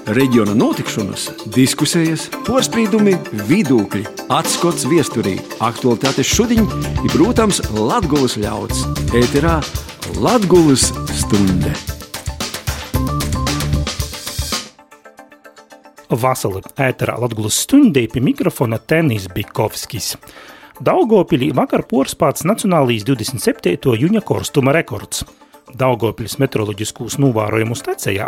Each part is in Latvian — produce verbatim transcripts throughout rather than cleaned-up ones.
Reģiona notikšanas, diskusijas, porspīdumi, vidūkļi, atskots viesturī, aktualitātes šudiņ i, protams, Latgulas ļauds. Ēterā Latgulas stunde. Vasali ēterā Latgulas stundē pie mikrofona Tenis Bikovskis. Daugavpilī vakar porspāts nacionālīs divdesmit septīto jūņa korstuma rekords. Daugavpilis meteoroloģiskūs novērojumu stacijā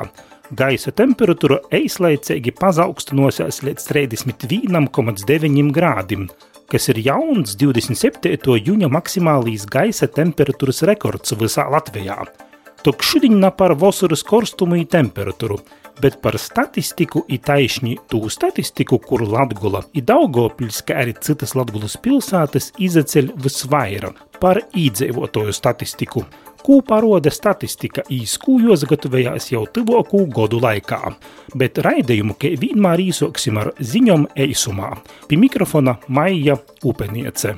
gaisa temperatūra eislaicīgi pazaugstinuosies līdz trīsdesmit viens komats deviņi grādim, kas ir jauns divdesmit septīto jūņa maksimālīs gaisa temperatūras rekords visā Latvijā. Tok šudiņ na par vasaras korstumu i temperatūru, bet par statistiku i taišņi tū statistiku, kur Latgula i Daugavpils, kā arī citas Latgulas pilsētas izaceļ visvaira par īdzīvotoju statistiku, kū paroda statistika īs, kū jūs gatavējās jau tuvākū godu laikā. Bet raidījumu, ka vienmēr īsoksim ar ziņom eisumā. Pie mikrofona Maija Upeniece.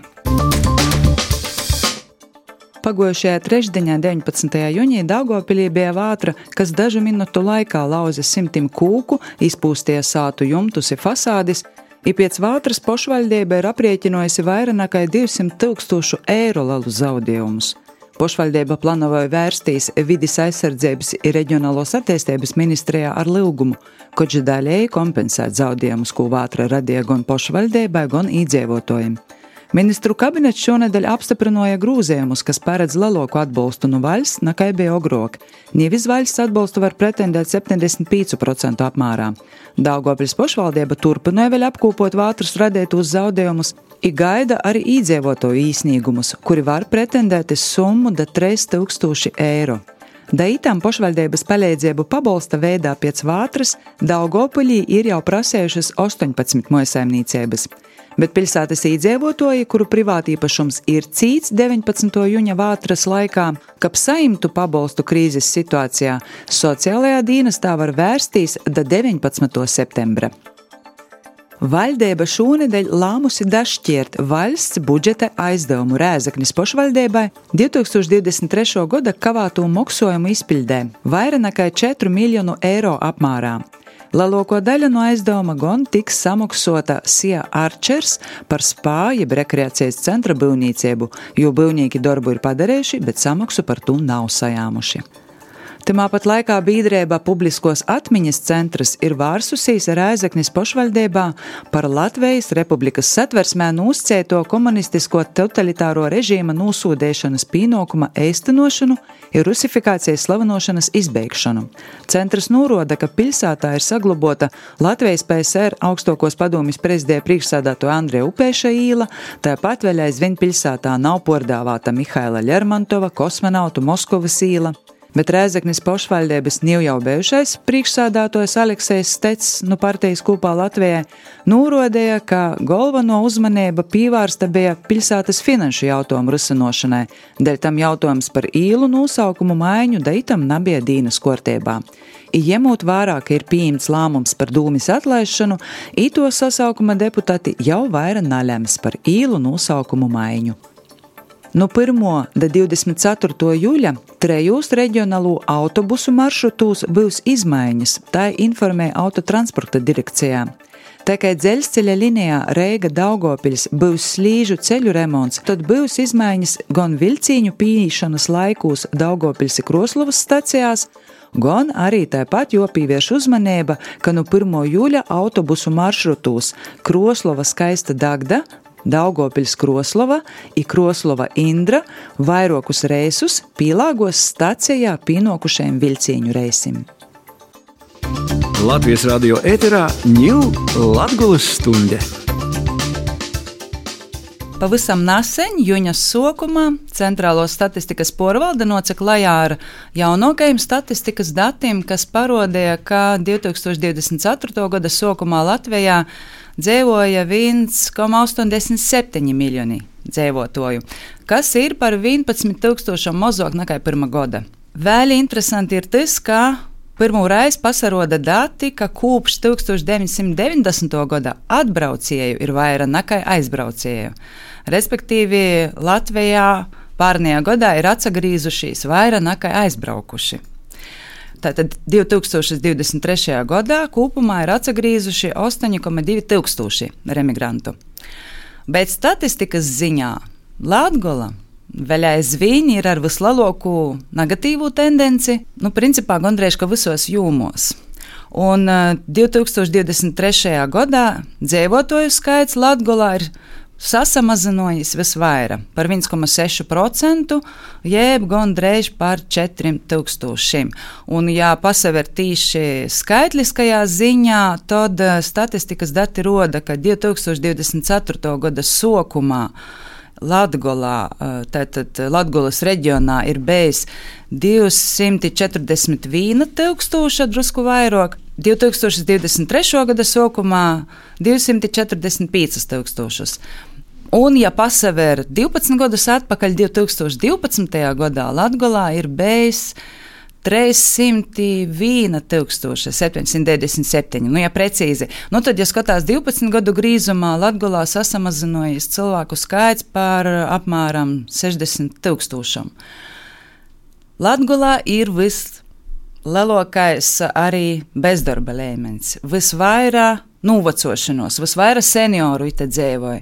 Pagojušajā trešdienā deviņpadsmitajā jūnijā Daugavpilī bija vātra, kas dažu minutu laikā lauza simtim kūku, izpūstīja sātu jumtus i fasādis, i piec vātras pošvaļdeiba ir aprēķinojusi vairāk nekā divsimt tūkstošu eiro lielu zaudējumus. Pošvaļdeiba planoja vērstīs vidis aizsardzības i reģionālos attīstības ministrijā ar lūgumu, koč daļēji kompensēt zaudējumus, ko vātra radīja gan pošvaļdeibai, gan īdzīvotājiem. Ministru kabinets šonedēļ apstiprināja grūzējumus, kas paredz lielāku atbalstu no valsts, nekā bija agrāk. Nevis valsts atbalstu var pretendēt septiņdesmit pieci procenti apmērā. Daugavpils pošvaldība turpināja vēl apkopot vātras radītos zaudējumus i gaida arī īdzīvotāju īsniegumus, kuri var pretendēt uz summu da trīs tūkstoši eiro. Da itām pošvaldības palīdzību pabalsta veidā pēc vātras Daugavpilī ir jau prasējušas astoņpadsmit mājsaimniecības. Bet pilsētas īdzīvotāji, kuru privātīpašums ir cīts deviņpadsmito jūņa vātras laikā, kap saimtu pabalstu krīzes situācijā, sociālajā dienestā var vērsties da deviņpadsmitā septembra. Valdeiba šonedēļ lāmusi dašķiert valsts budžeta aizdevumu Rēzeknis pošvaldeibai divi tūkstoši divdesmit trešā gada kavāto moksojumu izpildē vairāk nekā četru miljonu eiro apmērā. Lielāko daļu no aizdevuma gan tiks samaksota Sija Arčers par spā jeb rekreācijas centra būvniecību, jo būvnieki darbu ir padarījuši, bet samaksu par to nav sajāmuši. Timā pat laikā biedrība Publiskos atmiņas centrs ir vārsusīs Rēzeknis pošvaldībā par Latvijas Republikas satversmē nūscēto komunistisko totalitāro režīma nūsūdēšanas pīnokuma eistenošanu ir rusifikācijas slavinošanas izbeigšanu. Centrs nūroda, ka pilsētā ir saglabota Latvijas P S R augstākos padomjas prezidija priekšsēdētāja Andreja Upēša īla, tāpat vēl aizvien pilsētā nav pordāvāta Mihaila Lermontova kosmonautu Moskovas īla. Bet Rēzeknis pošvaldības nav jau bijušais priekšsēdētājs Aleksejs Stets no partijas Kopā Latvijai nūrodēja, ka galveno uzmanība pievērsta bija pilsētas finanšu jautājumu risinošanai, dēļ tam jautājums par īlu nosaukumu maiņu daitam nebija dīnas kārtībā. I ņemot vērā, ka ir pieņemts lēmums par dūmis atlaišanu, i to sasaukuma deputāti jau vairāk nalems par īlu nosaukumu maiņu. No pirmā da divdesmit ceturtā jūļa trejos reģionālo autobusu maršrutūs būs izmaiņas, tā informē autotransporta direkcijā. Tā kā dzeļsceļa linijā Reiga-Daugavpils būs slīžu ceļu remonts, tad būs izmaiņas gan vilcīņu pīšanas laikos Daugavpils i Kroslovas stacijās, gan arī tāpat jopīvieš uzmanība, ka no pirmā jūļa autobusu maršrutūs Kroslova Skaista Dagda, Daugavpils Kroslova i Kroslova Indra vairākus reisus pielāgos stacijā pienokušajiem vilcīņu reisim. Latvijas radio ēterā ņū Latgulas stunde. Pavisam nesen, jūņas sokumā, Centrālo statistikas porvalde nocek lajā ar jaunākajiem statistikas datiem, kas parodīja, ka divi tūkstoši divdesmit ceturtā gada sokumā Latvijā dzīvoja viens komats astoņdesmit septiņi miljoni dzīvotoju, kas ir par vienpadsmit tūkstošiem mazāk nekā pirmā gada. Vēl interesanti ir tas, ka pirmo reizi pasaroda dati, ka kopš tūkstoš deviņsimt deviņdesmitā gada atbraucēju ir vairāk nekā aizbraucēju. Respektīvi, Latvijā pārnajā gadā ir atsagrīzušies vairāk nekā aizbraukuši. Tātad divtūkstoš divdesmit trešajā gadā kopumā ir atsagrīzuši astoņi komats divi tūkstoši remigrantu. Bet statistikas ziņā Latgola vēl aizvien ir ar vislielāko negatīvu tendenci, nu, principā gandrīz ka visos jūmos. Un uh, divtūkstoš divdesmit trešajā gadā dzīvotāju skaits Latgolā ir sasamazinājies visvairāk par viens komats seši procenti, jeb gandrīz par četriem tūkstošiem. Un, ja pasaver tīši skaitliskajā ziņā, tad uh, statistikas dati roda, ka divtūkstoš divdesmit ceturtā gada sākumā Latgolā, tātad Latgolas reģionā ir bijis divsimt četrdesmit viena tūkstoša, drusku vairāk, divtūkstoš divdesmit trešā gada sākumā divsimt četrdesmit pieci tūkstošus. Un, ja pasaver divpadsmit gadus atpakaļ, divtūkstoš divpadsmitajā gadā Latgolā ir bijis trīssimt viena tūkstoša septiņsimt deviņdesmit septiņi. Nu, ja precīzi, nu tad, ja skatās divpadsmit gadu grīzumā, Latgolā sasamazinājies cilvēku skaits par apmēram sešdesmit tūkstošam. Latgolā ir vislielākais arī bezdarba līmenis, visvairāk novecošanos, visvairāk senioru ite dzīvoja.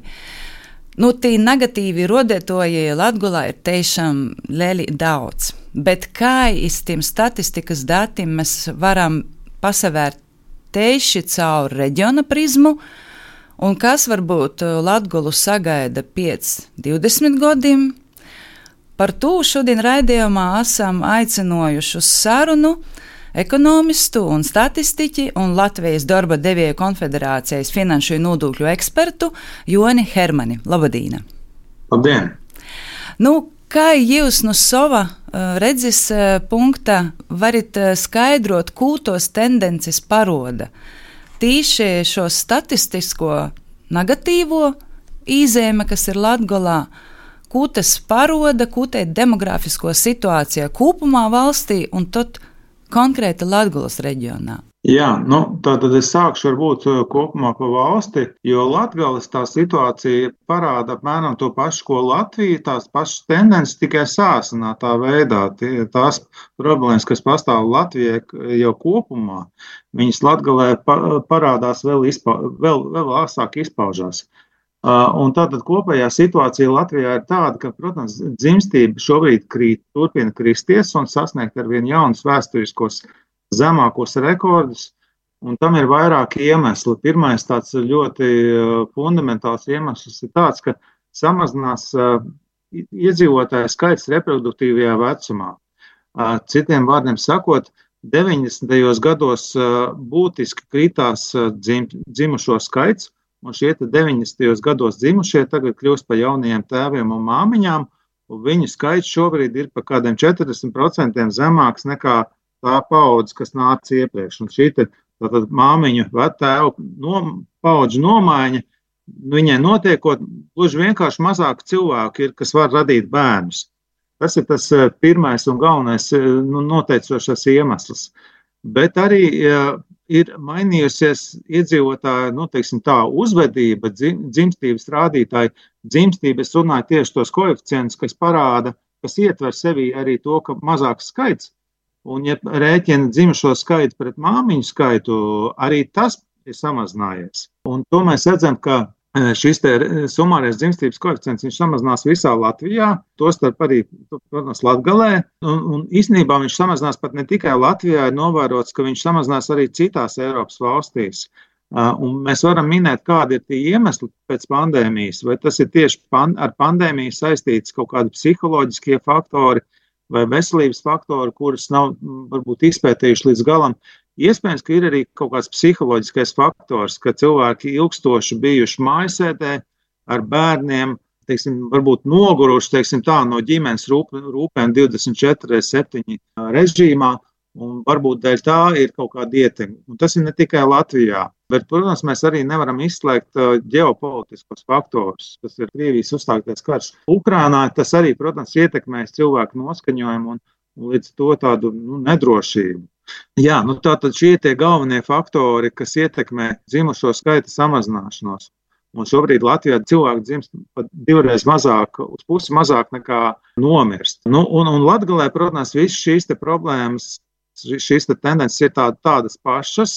Nu, tī negatīvi rodētoji Latgolā ir tiešām lieli daudz, bet kā iz tiem statistikas datiem mēs varam pasavērt tieši caur reģiona prizmu, un kas varbūt Latgolu sagaida pēc divdesmit gadiem. Par to šodien raidījumā esam aicinājuši uz sarunu ekonomistu un statistiķi un Latvijas darba devēju konfederācijas finanšu un nodokļu ekspertu Joni Hermani. Labadīna! Labdien! Nu, kā jūs no sava uh, redzes uh, punkta varat uh, skaidrot, ko tos tendences paroda? Tīši šo statistisko negatīvo īzēme, kas ir Latgolā, ko tas paroda, ko te demografisko situācijā kopumā valstī un tad konkrēti Latgolas reģionā? Jā, nu, tātad es sākšu varbūt kopumā pa valsti, jo Latgolas tā situācija parāda apmēram to pašu, ko Latvija, tās pašas tendences tikai sāsinātā veidā. Tie, tās problēmas, kas pastāv Latvijai jau kopumā, viņas Latgolē parādās vēl, izpa, vēl, vēl asāk izpaužās. Un tātad kopējā situācija Latvijā ir tāda, ka, protams, dzimstība šobrīd krīt, turpina kristies un sasniegt ar vien jaunus vēsturiskos zemākos rekordus, un tam ir vairāki iemesli. Pirmais tāds ļoti fundamentāls iemesls ir tāds, ka samazinās iedzīvotāju skaits reproduktīvajā vecumā. Citiem vārdiem sakot, deviņdesmitajos gados būtiski kritās dzim, dzimušo skaits, un šie deviņdesmitajos gados dzimušie tagad kļūst par jaunajiem tēviem un māmiņām, un viņu skaits šobrīd ir par kādiem četrdesmit procentiem zemāks nekā tā paudze, kas nāca iepriekš. Un šī te, tātad māmiņu tēvu nom, paudžu nomaiņa, viņai notiekot, gluži vienkārši mazāk cilvēku ir, kas var radīt bērnus. Tas ir tas pirmais un galvenais nu, noteicošais iemesls. Bet arī ja, ir mainījusies iedzīvotāju, nu, teiksim tā, uzvedība, dzim, dzimstības rādītāji. Dzimstība, es runāju tieši tos koeficientus, kas parāda, kas ietver sevī arī to, ka mazāks skaits. Un, ja rēķina dzimušo skaitu pret māmiņu skaitu, arī tas ir samazinājies. Un to mēs redzam, ka šis te sumārais dzimstības koeficients, viņš samazinās visā Latvijā, tostarp arī, protams, Latgalē. Un, un īstenībā viņš samazinās pat ne tikai Latvijā, ir novērots, ka viņš samazinās arī citās Eiropas valstīs. Un mēs varam minēt, kādi ir tie iemesli pēc pandēmijas, vai tas ir tieši pan, ar pandēmiju saistīts kaut kādi psiholoģiskie faktori vai veselības faktori, kurus nav varbūt izpētījuši līdz galam. Iespējams, ka ir arī kaut kāds psiholoģiskais faktors, ka cilvēki ilgstoši bijuši mājasēdē ar bērniem, teiksim, varbūt noguruši, teiksim tā, no ģimenes rūp, rūpēm divdesmit četri septiņi režīmā, un varbūt dēļ tā ir kaut kāda ietekme. Un tas ir ne tikai Latvijā, bet, protams, mēs arī nevaram izslēgt ģeopolitiskos faktorus. Tas ir Krievijas uzstāktais karš Ukrainā, tas arī, protams, ietekmēs cilvēku noskaņojumu un, un līdz to tādu nu, nedrošību. Jā, nu tātad šie tie galvenie faktori, kas ietekmē dzimušo skaita samazināšanos. Un šobrīd Latvijā cilvēki dzimst pat divreiz mazāk, uz pusi mazāk nekā nomirst. Nu, un, un Latgalē, protams, visas šīs te problēmas šīs te tendences ir tāda, tādas pašas,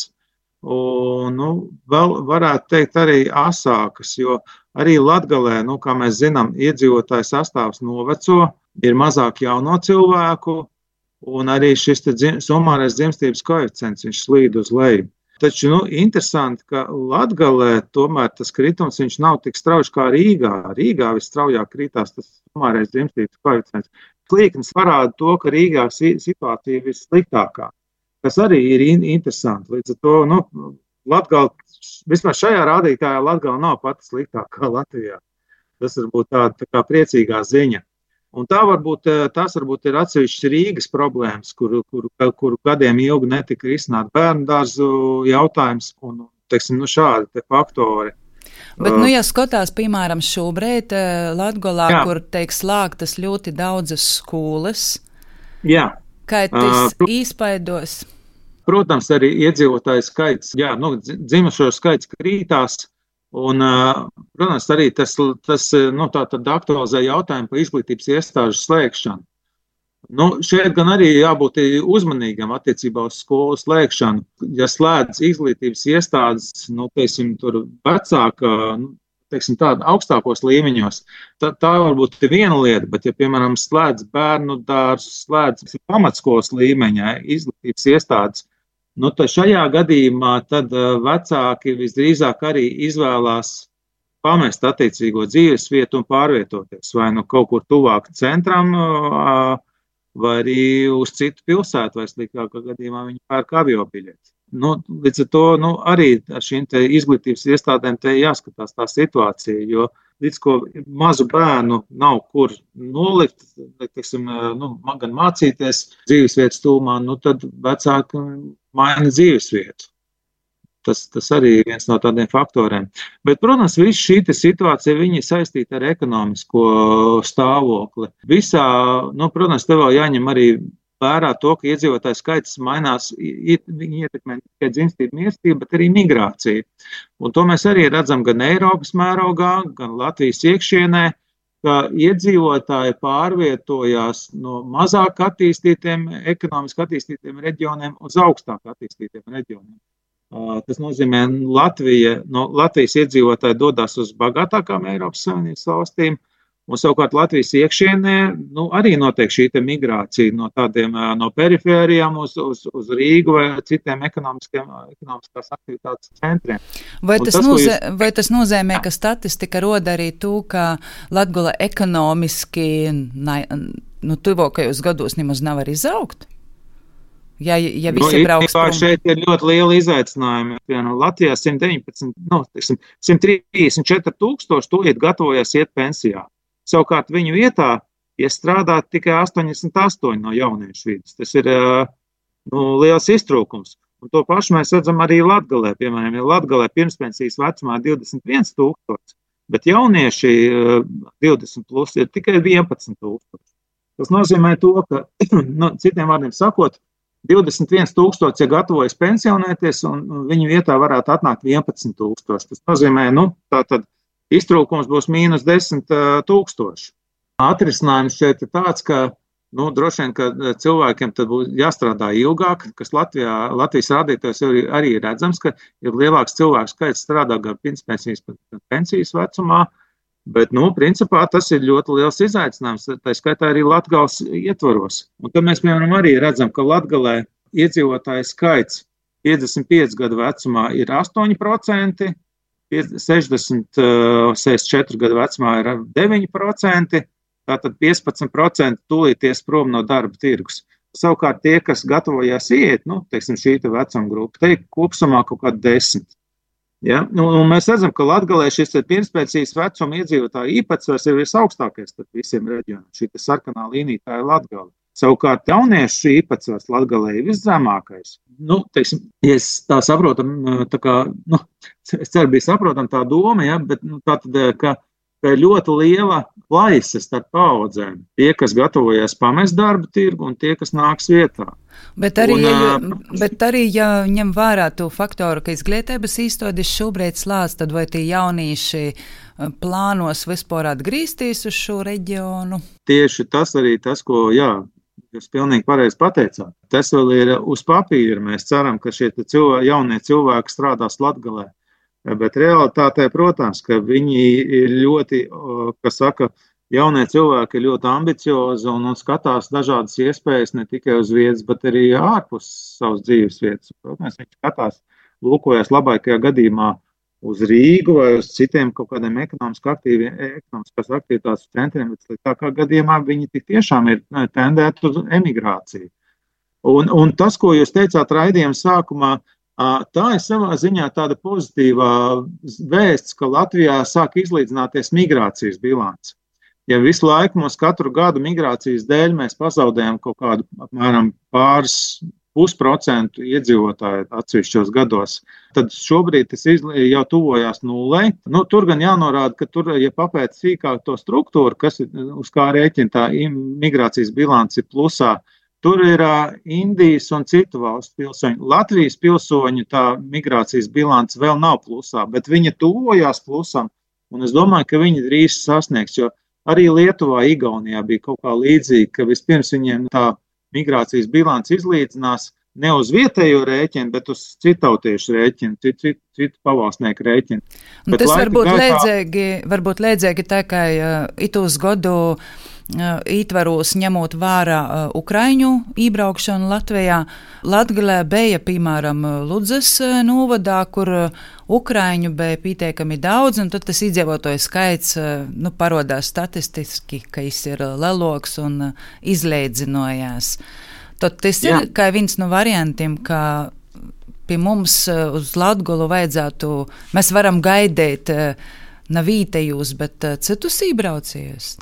un, nu, vēl varētu teikt arī asākas, jo arī Latgalē, nu, kā mēs zinām, iedzīvotāju sastāvs noveco, ir mazāk jauno cilvēku, un arī šis te dzim, summārais dzimstības koeficients, viņš slīd uz leju. Taču, nu, interesanti, ka Latgalē tomēr tas kritums, viņš nav tik strauji kā Rīgā. Rīgā visstraujāk krītās tas summārais dzimstības koeficients. Līknes parāda to, ka Rīgā situācija ir vissliktākā, kas arī ir interesanti. Līdz ar to, nu, Latgala, vismaz šajā rādītājā Latgala nav pati sliktākā Latvijā. Tas varbūt tāda tā kā priecīgā ziņa. Un tā varbūt, tās varbūt ir atsevišķas Rīgas problēmas, kuru, kuru, kuru gadiem ilgi netika risināt bērnu dārzu jautājums un, teiksim, nu šādi te faktori. Bet, nu, ja skatās, piemēram, šobrīd Latgolā, jā. Kur, teik, slēgtas ļoti daudzas skolas, jā. Kā tas uh, īspaidos? Protams, arī iedzīvotāju skaits, jā, nu, dzimušo skaits krītās, un, protams, arī tas, tas nu, tā tad aktualizē jautājumu par izglītības iestāžu slēgšanu. Nu, šeit gan arī jābūt uzmanīgam attiecībā uz skolu slēgšanu. Ja slēdz izglītības iestādes, nu, teiksim, tur vecāka, nu, teiksim, tāda augstākos līmeņos, tā, tā varbūt ir viena lieta, bet ja, piemēram, slēdz bērnu dārzus, slēdz pamatskolas līmeņā izglītības iestādes, nu, tad šajā gadījumā tad vecāki visdrīzāk arī izvēlās pamest attiecīgo dzīves vietu un pārvietoties, vai nu kaut kur tuvāk centram, vai arī uz citu pilsētu, vai sliktākā gadījumā viņi pērk aviobiļeti. Nu, līdz ar to, nu, arī ar šīm te izglītības iestādēm te jāskatās tā situācija, jo līdz ko mazu bērnu nav kur nolikt, teiksim, nu, gan mācīties dzīvesvietas tūmā, nu, tad vecāki maina dzīvesvietu. Tas, tas arī ir viens no tādiem faktoriem. Bet, protams, viss šī situācija, viņi saistīta ar ekonomisko stāvokli. Visā, nu, protams, te vēl jāņem arī vērā to, ka iedzīvotāju skaits mainās, viņi ietekmē tikai dzimstību mirstību, bet arī migrāciju. Un to mēs arī redzam gan Eiropas mērogā, gan Latvijas iekšienē, ka iedzīvotāji pārvietojās no mazāk attīstītiem, ekonomiski attīstītiem reģioniem uz augstāk attīstītiem reģioniem. Tas nozīmē, Latvija, no Latvijas iedzīvotāji dodas uz bagātākām Eiropas Savienības valstīm, un savukārt Latvijas iekšienē, nu, arī notiek šī te migrācija no tādiem, no perifērijām uz, uz, uz Rīgu vai citiem ekonomiskās aktivitātes centriem. Vai tas, tas, nozē, jūs... vai tas nozīmē, ka statistika roda arī to, ka Latgala ekonomiski, nu, tuvākajos gados nemaz nav arī izaugt? Ja, ja visi nu, brauks prom. Šeit ir ļoti liela izaicinājuma. Pienu, Latvijā simt deviņpadsmit, nu, teiksim, simt trīsdesmit četri tūkstoši tūlīt gatavojas iet pensijā. Savukārt viņu vietā iestrādā tikai astoņdesmit astoņi no jauniešu vidus. Tas ir, nu, liels iztrūkums. Un to pašu mēs redzam arī Latgalē. Piemēram, ja Latgalē pirmspensijas vecumā divdesmit viens tūkstoši, bet jaunieši divdesmit plus ir tikai vienpadsmit tūkstoši. Tas nozīmē to, ka, nu, citiem vārdiem sakot, divdesmit viens tūkstoši, ja gatavojas pensionēties, un viņu vietā varētu atnākt vienpadsmit tūkstoši. Tas nozīmē, nu, tā tad iztrūkums būs mīnus desmit tūkstoši. Atrisinājums šeit ir tāds, ka, nu, droši vien, ka cilvēkiem tad būs jāstrādā ilgāk, kas Latvijā, Latvijas rādītājs arī ir redzams, ka ir lielāks cilvēku skaits strādā gan pirmspensijas, gan pensijas vecumā, bet, nu, principā tas ir ļoti liels izaicinājums, tā skaitā arī Latgales ietvaros. Un tad mēs, piemēram, arī redzam, ka Latgalē iedzīvotāju skaits piecdesmit pieci gadu vecumā ir astoņi procenti, sešdesmit, sešdesmit četri gadu vecumā ir deviņi procenti, tātad piecpadsmit procenti tūlīties prom no darba tirgus. Savukārt tie, kas gatavojās iet, nu, teiksim, šī te vecuma grupa, te kopsumā kaut kādi desmit. Ja? Nu, un mēs redzam, ka Latgalē šis pirmspensijas vecuma iedzīvotāju īpatsvars ir visaugstākais starp visiem reģioniem. Šī te sarkanā līnija, tā ir Latgale. Savukārt jauniešu īpatsvars Latgalē ir viszemākais. Nu, teiksim, ja es tā saprotam, tā kā, nu, es ceru, bija saprotam tā doma, ja, bet, nu, tā tad, ka, ka ļoti liela plaisa starp paudzēm. Tie, kas gatavojas pamest darba tirgu un tie, kas nāks vietā. Bet arī, un, ja, bet arī, ja ņem vērā to faktoru, ka izglītības iestādes šobrīd slēdz, tad vai tie jaunieši plānos vispār atgriezties uz šo reģionu? Tieši tas arī tas, ko, jā, Jūs pilnīgi pareizi pateicāt. Tas vēl ir uz papīra. Mēs ceram, ka šie cilvēki, jaunie cilvēki strādās Latgalē. Bet realitātē, protams, ka viņi ir ļoti, kas saka, jaunie cilvēki ir ļoti ambiciozi un, un skatās dažādas iespējas ne tikai uz vietas, bet arī ārpus savas dzīves vietas. Protams, viņi skatās, lūkojas labākajā gadījumā uz Rīgu vai uz citiem kaut kādiem ekonomiskās aktivitātes centriem, bet sliktākā gadījumā viņi tik tiešām ir tendēti uz emigrāciju. Un, un tas, ko jūs teicāt raidījuma sākumā, tā ir savā ziņā tāda pozitīvā vēsts, ka Latvijā sāk izlīdzināties migrācijas bilants. Ja visu laiku mums katru gadu migrācijas dēļ mēs pazaudējam kaut kādu apmēram pāris pusprocentu iedzīvotāju atsevišķos gados, tad šobrīd tas jau tuvojās nulei. Nu, tur gan jānorāda, ka tur, ja papēt sīkāk to struktūru, kas ir, uz kā rēķina tā migrācijas bilants ir plusā, tur ir uh, Indijas un citu valstu pilsoņu. Latvijas pilsoņu tā migrācijas bilants vēl nav plusā, bet viņa tuvojās plusam, un es domāju, ka viņi drīz sasniegs, jo arī Lietuvā, Igaunijā bija kaut kā līdzīgi, ka vispirms viņiem tā migrācijas bilants izlīdzinās ne uz vietējo rēķinu, bet uz citautiešu rēķinu, citu, citu, citu pavalsnieku rēķinu. Bet tas varbūt gaitā... lēdzēgi, varbūt lēdzēgi tikai uh, itūs godu uh, ītvaros ņemot vērā uh, Ukraiņu ībraukšanu Latvijā. Latgalē bija, piemēram, Ludzas uh, novadā, kur uh, Ukraiņu bija pīteikami daudz, un tad tas iedzīvotāju skaits uh, nu, parodās statistiski, ka jis ir uh, leloks un uh, izlēdzinojās. Tad tas Jā. ir kā viens no variantiem, ka pie mums uh, uz Latgolu vajadzētu, mēs varam gaidīt uh, ne vītējus, bet uh, citus ībraucējus.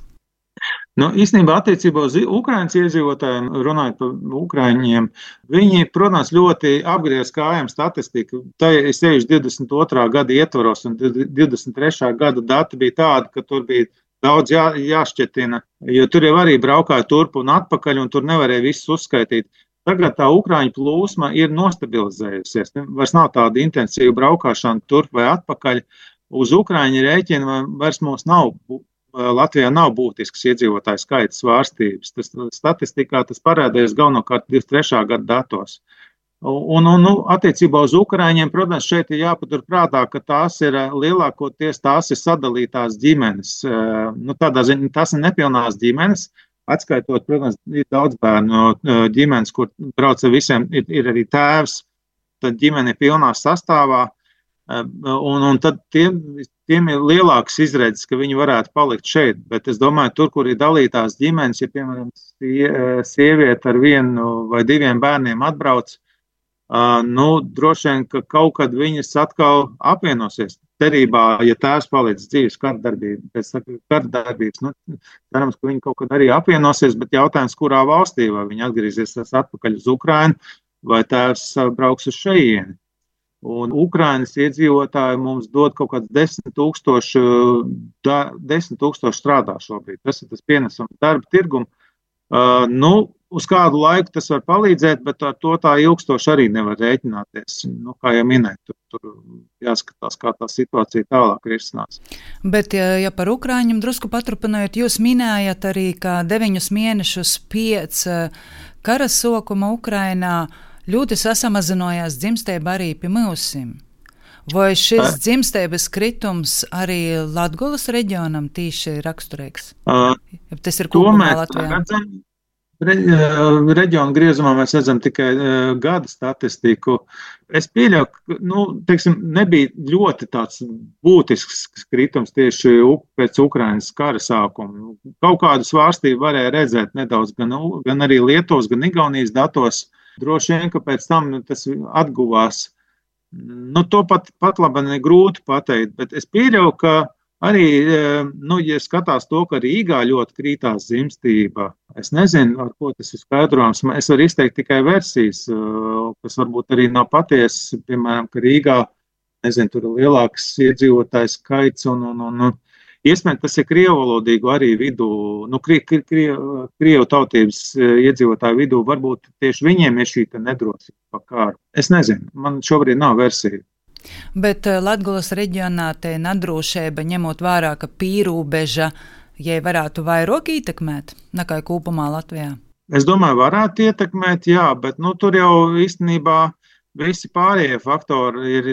Nu, īstenībā attiecībā uz Ukrainas iedzīvotājiem, runājot par Ukraiņiem, viņi, protams, ļoti apgriez kājām statistiku. Tā ir sevišķi divdesmit otrā gada ietvaros, un divdesmit trešā gada dati bija tādi, ka tur bija daudz jā, jāšķetina, jo tur jau arī braukāja turp un atpakaļ, un tur nevarēja visus uzskaitīt. Tagad tā Ukraiņu plūsma ir nostabilizējusies. Vairs nav tāda intensīva braukāšana turp vai atpakaļ. Uz Ukraiņu rēķina vairs mums nav, Latvijā nav būtisks iedzīvotāju skaita svārstības. Tas statistikā tas parādījās galvenokārt divdesmit trešā gada datos. Un, un nu, attiecībā uz Ukraiņiem, protams, šeit ir jāpatur prātā, ka tās ir lielākoties tās ir sadalītās ģimenes. Nu, tādā ziņā tās ir nepilnās ģimenes, atskaitot, protams, ir daudz bērnu ģimenes, kur brauc ar visiem, ir, ir arī tēvs, tad ģimene ir pilnā sastāvā, un, un tad tiem, tiem ir lielāks izredzes, ka viņi varētu palikt šeit, bet es domāju, tur, kur ir dalītās ģimenes, ja, piemēram, sieviete ar vienu vai diviem bērniem atbrauc, Uh, nu, droši vien, ka kaut kad viņas atkal apvienosies cerībā, ja tēvs paliec dzīves kardarbība, pēc kardarbības, nu, cerams, ka viņi kaut kad arī apvienosies, bet jautājums, kurā valstī, vai viņi atgriezīsies atpakaļ uz Ukrainu, vai tēvs brauks uz šeieni. Un Ukrainas iedzīvotāji mums dod kaut kāds desmit tūkstoši, da, desmit tūkstoši strādā šobrīd. Tas ir tas pienesums darba tirgumu. Uh, nu, uz kādu laiku tas var palīdzēt, bet ar to tā ilgstoši arī nevar rēķināties. Nu, kā jau minēju, tur, tur jāskatās, kā tā situācija tālāk risinās. Bet, ja, ja par Ukraiņiem drusku paturpinājot, jūs minējat arī, ka deviņus mēnešus pēc kara sākuma Ukrainā ļoti sasamazinājās dzimstība arī pie mūsim. Vai šis dzimstības kritums arī Latgolas reģionam tīši raksturīgs? Uh, Tas ir kopumā Latvijā. Re, reģionu griezumā mēs redzam tikai uh, gada statistiku. Es pieļauju, ka nu, teiksim, nebija ļoti tāds būtisks kritums tieši pēc Ukrainas kara sākuma. Kaut kādu svārstību varēja redzēt nedaudz gan, gan arī Lietuvas, gan Igaunijas datos. Droši vien, ka pēc tam tas atguvās. Nu, to pat, pat labi ne grūti pateikt, bet es pieļauju, ka arī, nu, ja skatās to, ka Rīgā ļoti krītās dzimstība, es nezinu, ar ko tas ir skaidrojams, es varu izteikt tikai versijas, kas varbūt arī nav patiesas, piemēram, ka Rīgā, nezinu, tur ir lielāks iedzīvotājs skaits un, un, un, un iespējams, tas ir krievalodīgu arī vidū, nu, krie, krie, krie, krievu tautības iedzīvotāju vidū, varbūt tieši viņiem ir šī nedrosība pa kāru. Es nezinu, man šobrīd nav versija. Bet Latgolas reģionā te nedrošība, ņemot vērā, ka pīrūbeža, ja varētu vairāk ietekmēt nekā kopumā Latvijā? Es domāju, varētu ietekmēt, jā, bet nu, tur jau īstenībā visi pārējie faktori ir,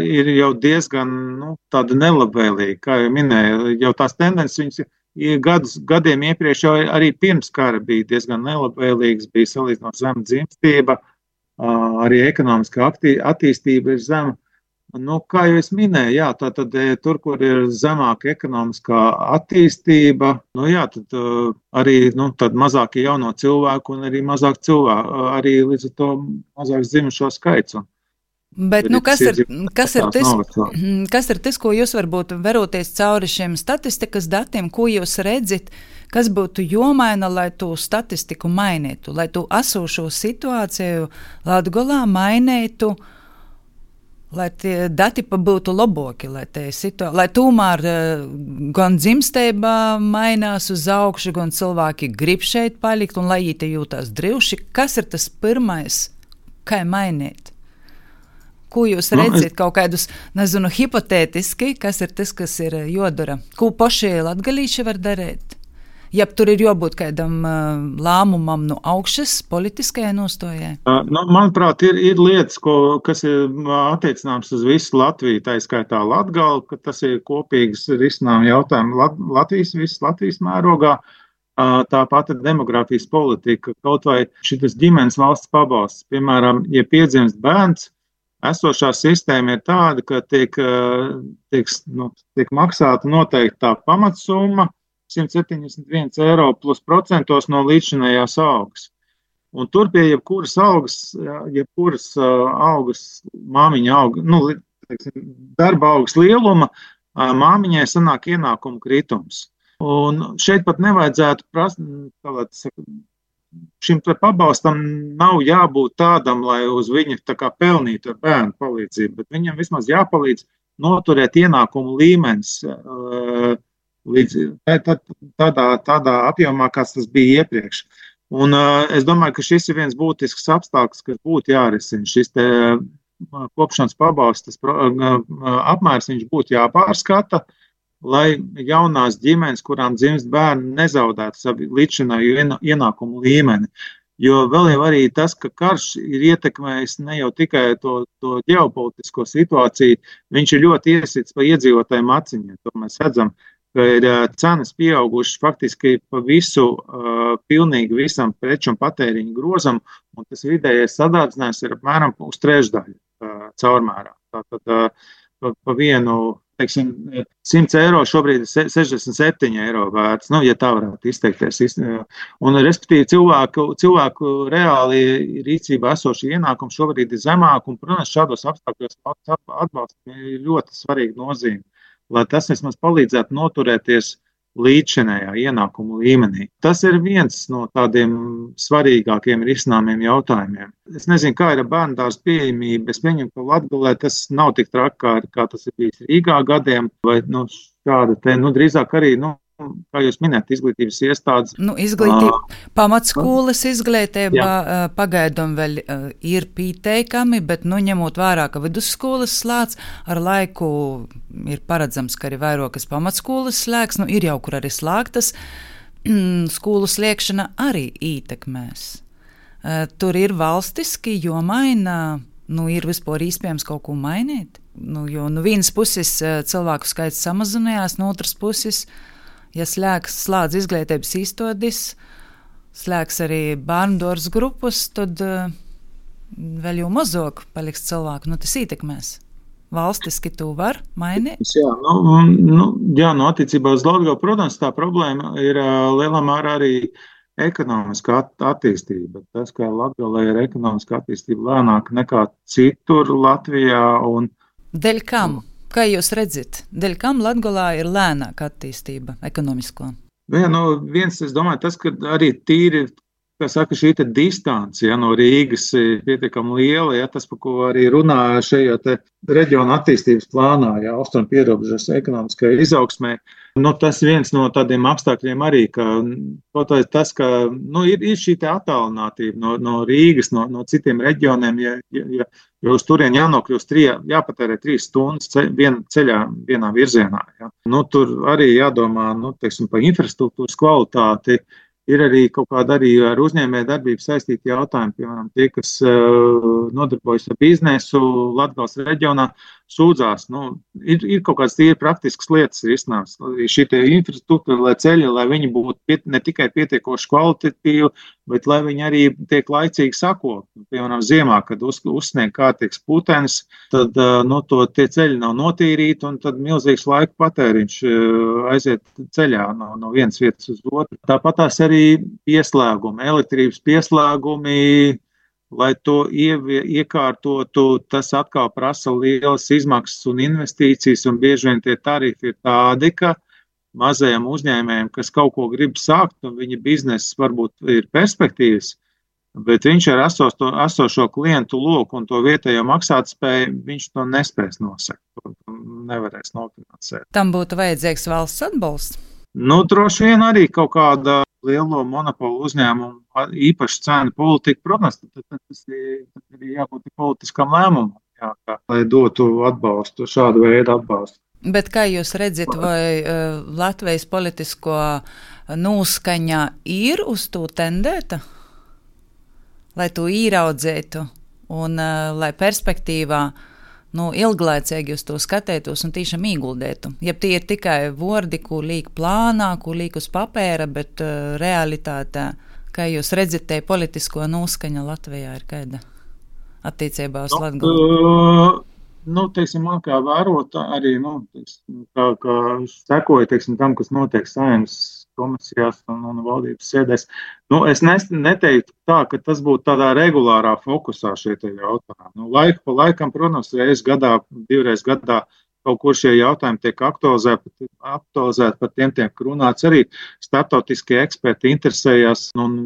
ir jau diezgan nu, tādi nelabvēlīgi, kā jau minēju. Jau tās tendences viņas gadus, gadiem iepriekš jau arī pirms kara bija diezgan nelabvēlīgas, bija salīdzinot zema dzimstība, arī ekonomiskā attīstība ir zema. Nu, kā jau es minēju, jā, tā tad tur, kur ir zemāka ekonomiskā attīstība, nu jā, tad uh, arī nu, tad mazāk jauno cilvēku un arī mazāk cilvēku, arī līdz ar to mazāk dzimušo skaits. Bet, nu, kas ir, kas, ir tis, kas ir tas, ko jūs varbūt veroties cauri šiem statistikas datiem, ko jūs redzat, kas būtu jomaina, lai tu statistiku mainītu, lai tu esošo situāciju Latgolā mainītu, lai tie dati būtu labāki, lai, situa- lai tomēr gan dzimstībā mainās uz augšu, gan cilvēki grib šeit palikt, un lai viņi te jūtās droši. Kas ir tas pirmais, kā mainīt? Ko jūs redzat, no, kaut kādus, nezinu, hipotētiski, kas ir tas, kas ir jodara? Ko paši latgalīši var darīt? Ja tur ir jābūt kādam uh, lēmumam no augšas, politiskajai nostājai? Uh, nu, manuprāt, ir, ir lietas, ko, kas ir attiecināms uz visu Latviju, tā skaitā Latgali, ka tas ir kopīgs risinājuma jautājums Lat, Latvijas, visas Latvijas mērogā. Uh, tāpat ir demografijas politika, kaut vai šitas ģimenes valsts pabalsts. Piemēram, ja piedzimst bērns, esošā sistēma ir tāda, ka tiek, tiek, nu, tiek maksāta noteiktā pamatsumma, simt septiņdesmit viens eiro plus procentos no līdzinējās algas. Un tur pie jebkuras algas, jebkuras algas, māmiņa auga, nu, teiksim, darba algas lieluma, māmiņai sanāk ienākumu kritums. Un šeit pat nevajadzētu prast, saka, šim pabalstam nav jābūt tādam, lai uz viņu tā kā pelnītu ar bērnu palīdzību, bet viņam vismaz jāpalīdz noturēt ienākumu līmenis, līdz tādā, tādā apjomā, kāds tas bija iepriekš. Un uh, es domāju, ka šis ir viens būtisks apstākļus, kas būtu jārisina. Šis te uh, kopšanas pabalstas uh, apmērs viņš būtu jāpārskata, lai jaunās ģimenes, kurām dzimst bērni, nezaudētu savu līdzšinēju ienākumu līmeni. Jo vēl jau arī tas, ka karš ir ietekmējis ne jau tikai to, to ģeopolitisko situāciju, viņš ir ļoti iesits pa iedzīvotājiem aciņiem. To mēs redzam, ka ir cenas pieaugušas faktiski pa visu, uh, pilnīgi visam preču un patēriņu grozam, un tas vidējais sadārdzinājums ir apmēram uz trešdaļu uh, caurmērā. Tātad uh, pa, pa vienu, teiksim, simts eiro šobrīd ir sešdesmit septiņi eiro vērts, nu, ja tā varētu izteikties. Un, respektīvi, cilvēku, cilvēku reāli rīcībā esoši ienākumi šobrīd ir zemāk, un, protams, šādos apstākļos atbalsts ir ļoti svarīga nozīme, lai tas vismaz palīdzētu noturēties līdzšinējā ienākumu līmenī. Tas ir viens no tādiem svarīgākiem risinājumiem jautājumiem. Es nezinu, kā ir ar bērndārza pieejamība. Es pieņemu, ka Latgalē tas nav tik traki, kā, kā tas ir bijis Rīgā gadiem, vai nu, šāda te, nu, drīzāk arī, nu, kā jūs minējat, izglītības iestādes. Nu, izglītība, pamatskolas izglītība uh, pagaidām vēl uh, ir pieteikami, bet, nu, ņemot vērā, ka vidusskolas slēdz, ar laiku ir paredzams, ka arī vairākas pamatskolas slēgs, nu, ir jau kur arī slēgtas, skolu slēgšana arī ietekmēs. Uh, tur ir valstiski, jo maina, nu, ir vispār iespējams kaut ko mainīt, nu, jo no vienas puses uh, cilvēku skaits samazinājās, no otras puses ja slēgs, slēdz izglītības iestādes, slēgs arī bērndārzs grupas, tad uh, vēl jau mazāk paliks cilvēku. Nu, tas ietekmēs. Valstiski to var mainīt? Jā, nu, nu, jā, no attiecībā uz Latgali, protams, tā problēma ir uh, lielā mērā arī ekonomiskā at- attīstība. Tas, ka Latgalē ir ekonomiskā attīstība lēnāk nekā citur Latvijā. Un, Dēļ kam? Kā jūs redzat, dēļ kam Latgalā ir lēnāka attīstība ekonomisko? Jā, nu, viens, es domāju, tas, ka arī tīri, kā saka, šī te distance, ja, no Rīgas pietiekami liela, ja, tas, par ko arī runā šajā te reģiona attīstības plānā, ja, austrumu pierobežas ekonomiskajai izaugsmē, nu, tas viens no tādiem apstākļiem arī, ka, tas, ka, nu, ir, ir šī te attālinātība no, no Rīgas, no, no citiem reģioniem, ja, ja, jo uz turien jānokļūst, tri, jāpatērē trīs stundas ceļ, vien, ceļā vienā virzienā, ja. Nu, tur arī jādomā, nu, teiksim, par infrastruktūras kvalitāti, Ir arī kaut kāda arī ar uzņēmēju darbību saistīti jautājumi, piemēram, tie, kas uh, nodarbojas ar biznesu Latgales reģionā, sūdzās. Nu, ir, ir kaut kādas tīri praktiskas lietas risināmas. Šī infrastruktūra, lai ceļi, lai viņi būtu piet, ne tikai pietiekoši kvalitatīvi, bet lai viņi arī tiek laicīgi sakot. Piemēram, ziemā, kad uz, uzsnieg kārtīgs putenis, tad uh, no to tie ceļi nav notīrīti un tad milzīgs laika patēriņš uh, aiziet ceļā no, no vienas vietas uz otru. Tāpat tās arī pieslēgumi, elektrības pieslēgumi, lai to ievie, iekārtotu, tas atkal prasa lielas izmaksas un investīcijas, un bieži vien tie tarifi ir tādi, ka mazajiem uzņēmējiem, kas kaut ko grib sākt, un viņa bizness varbūt ir perspektīvas, bet viņš ar esošo, esošo klientu loku un to vietējo maksātspēju, viņš to nespēs nosekt, nevarēs nofinansēt. Tam būtu vajadzīgs valsts atbalsts? Nu, droši vien arī kaut kāda lielo monopolu uzņēmumu īpaši cenu politika, protams, tad tas ir, ir jābūt politiskam lēmumam, jā, kā, lai dotu atbalstu, šādu veidu atbalstu. Bet kā jūs redzat, vai uh, Latvijas politisko noskaņa ir uz to tendēta, lai to īraudzētu un uh, lai perspektīvā nu, ilglaicīgi uz to skatētos un tiešām ieguldētu. Ja tie ir tikai vordi, ko liek plānā, ko liek uz papēra, bet uh, realitātē, kā jūs redzat, te politisko noskaņa Latvijā ir kāda attiecībā uz Latgali? Uh, nu, teiksim, man kā vērota arī, nu, teiksim, kā, kā sekoja, teiksim, tam, kas notiek Saeimas komisijās un, un valdības sēdēs. Nu, es neteiktu tā, ka tas būtu tādā regulārā fokusā šie te jautājumi. Nu, laiku pa laikam, protams, reiz gadā, divreiz gadā kaut kur šie jautājumi tiek aktualizēti, aktualizēti par tiem tiek runāts arī starptautiskie eksperti interesējās un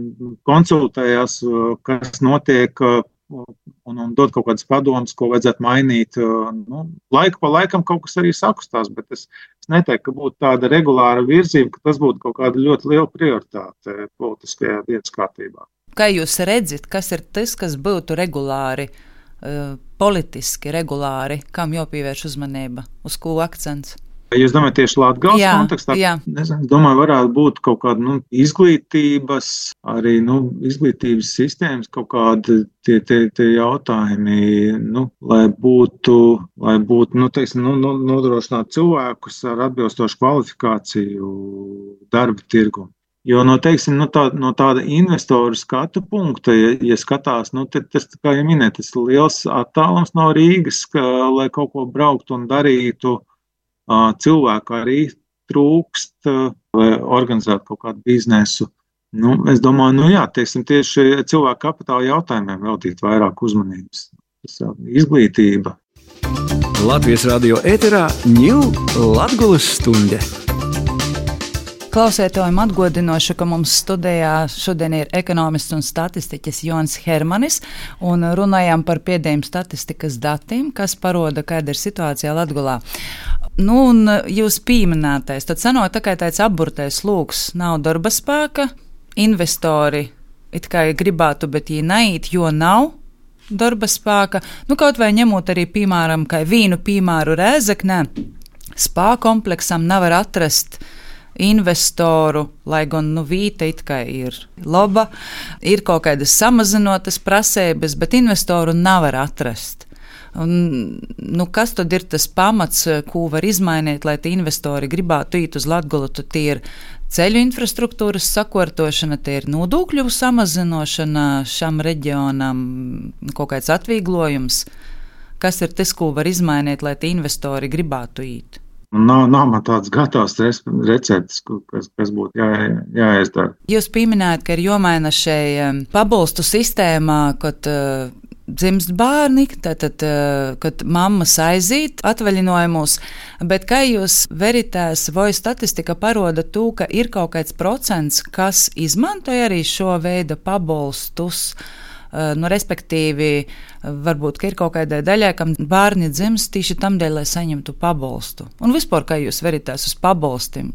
konsultējās, kas notiek un, un dod kaut kādas padomas, ko vajadzētu mainīt. Nu, laiku pa laikam kaut kas arī sakustās, bet es, es neteiktu, ka būtu tāda regulāra virzība, ka tas būtu kaut kāda ļoti liela prioritāte politiskajā dienas kārtībā. Kā jūs redzat, kas ir tas, kas būtu regulāri, uh, politiski regulāri, kam jāpievērš uzmanība, uz ko akcents? Jūs domājat tieši Latgales kontekstā? Jā. Nezinu, domāju, varētu būt kaut kāda nu, izglītības, arī nu, izglītības sistēmas kaut kādi tie, tie, tie jautājumi, nu, lai būtu, lai būtu nu, teiksim, nu, nodrošināt cilvēkus ar atbilstošu kvalifikāciju darba tirgumu. Jo no, teiksim, no, tā, no tāda investoru skatu punkta, ja, ja skatās, nu, tad tas, kā jau minēt, tas liels attālums no Rīgas, ka, lai kaut ko brauktu un darītu, cilvēku arī trūkst, vai organizēt kaut kādu biznesu. Nu, es domāju, nu jā, teiksim, tieši cilvēku kapitāla jautājumiem veltīt vairāk uzmanības. Tas izglītība. Latvijas radio ēterā Ņū Latgulas stunde. Klausētājiem atgādināšu, ka mums studijā šodien ir ekonomists un statistiķis Jons Hermanis, un runājām par pēdējiem statistikas datiem, kas paroda, kāda ir situācija Latgolā. Nu, un jūs pieminētais, tad sanāk tā kā tāds apburtais lūks, nav darba spēka, investori it kā gribētu, bet viņi neiet, jo nav darba spēka. Nu, kaut vai ņemot arī, piemēram, kā vīnu piemēru Rēzeknē, spā kompleksam nevar atrast investoru, lai gan nu, vīta it kā ir laba, ir kaut kādas samazinotas prasības, bet investoru nevar atrast. Un, nu, kas tad ir tas pamats, ko var izmainīt, lai tie investori gribētu iet uz Latgolu? Tie ir ceļu infrastruktūras sakārtošana, tie ir nodokļu samazinošana šam reģionam, kaut kāds atvieglojums. Kas ir tas, ko var izmainīt, lai tie investori gribētu iet? Nav, nav man tāds gatavs recepts, kas, kas būtu jā, jāizdara. Jūs pieminējat, ka ir jāmaina šai pabalstu sistēmā, kad uh, dzimst bērni, tātad, uh, kad mammas aiziet atvaļinājumos, bet kā jūs veritēs vai statistika paroda to, ka ir kaut kāds procents, kas izmantoja arī šo veidu pabalstus, uh, nu, respektīvi, varbūt, ka ir kaut kādai daļai, kam bērni dzimst tieši tam dēļ, lai saņemtu pabalstu. Un vispār, kā jūs veritēs uz pabalstiem,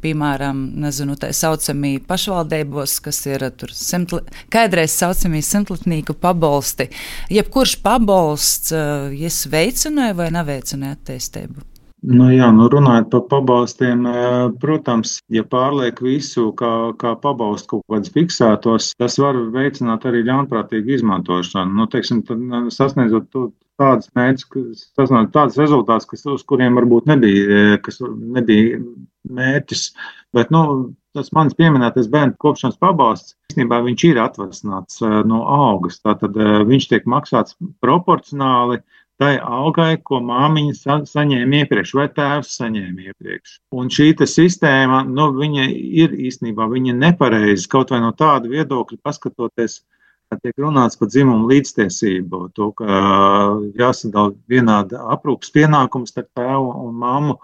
piemēram, nezinu, tā saucamī pašvaldībos, kas ir tur simtli, kādreiz saucamī simtlatnīku pabalsti. Jebkurš pabalsts, jas veicināja vai neveicināja attīstību? Nu jā, nu runājot par pabalstiem, protams, ja pārliek visu, kā, kā pabalstu kaut kāds fiksētos, tas var veicināt arī ļaunprātīgu izmantošanu. Nu, teiksim, tad sasniedzot to, tādas mērķis, sasniedzot tādas rezultātus, kas, uz kuriem varbūt nebija, kas nebija mērķis, bet, nu, tas manis pieminētais bērnu kopšanas pabalsts, īstenībā viņš ir atvasināts no algas, tātad viņš tiek maksāts proporcionāli tai algai, ko māmiņa sa saņēma iepriekš, vai tēvs saņēma iepriekš. Un šī sistēma, nu, viņa ir īstenībā, viņa nepareizi, kaut vai no tāda viedokļa paskatoties, tiek runāts par dzimumu līdztiesību, to, ka jāsadala vienāda aprūpas pienākums starp tēvu un mammu,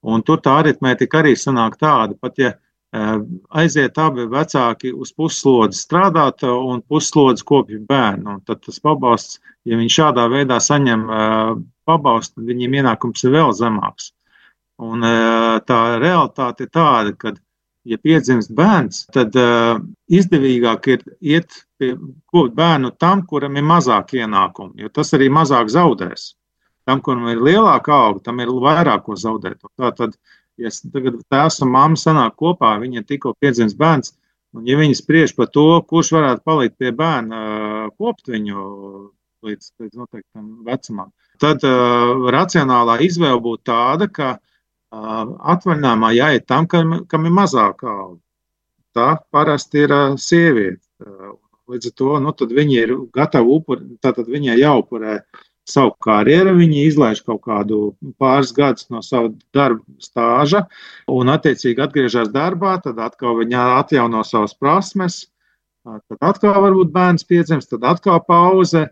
un tur tā aritmētika arī sanāk tāda, pat ja aiziet abi vecāki uz pusslodzi strādāt un pusslodzi kopja bērnu. Un tad tas pabalsts, ja viņi šādā veidā saņem pabalstu, tad viņiem ienākums ir vēl zemāks. Un tā realitāte ir tāda, ka, ja piedzimst bērns, tad izdevīgāk ir iet pie kopt bērnu tam, kuram ir mazāk ienākumi, jo tas arī mazāk zaudēs. Tam, kuram ir lielāka auga, tam ir vairāk ko zaudēt. Tātad, ja tagad tēvs un mamma sanāk kopā, viņa tikko piedzimst bērns, un ja viņi spriež par to, kurš varētu palikt pie bērna, kopt viņu līdz, līdz noteiktam vecumam, tad uh, racionālā izvēle būtu tāda, ka uh, atvaļinājumā jāiet tam, kam, kam ir mazāka auga. Tā parasti ir uh, sieviete. Uh, līdz ar to, nu, tad viņi ir gatavi upuri, tātad viņai jāupurē savu karjeru, viņi izlaiž kaut kādu pāris gadus no savu darba stāža un attiecīgi atgriežas darbā, tad atkal viņa atjauno savas prasmes, tad atkal varbūt bērns piedzimst, tad atkal pauze,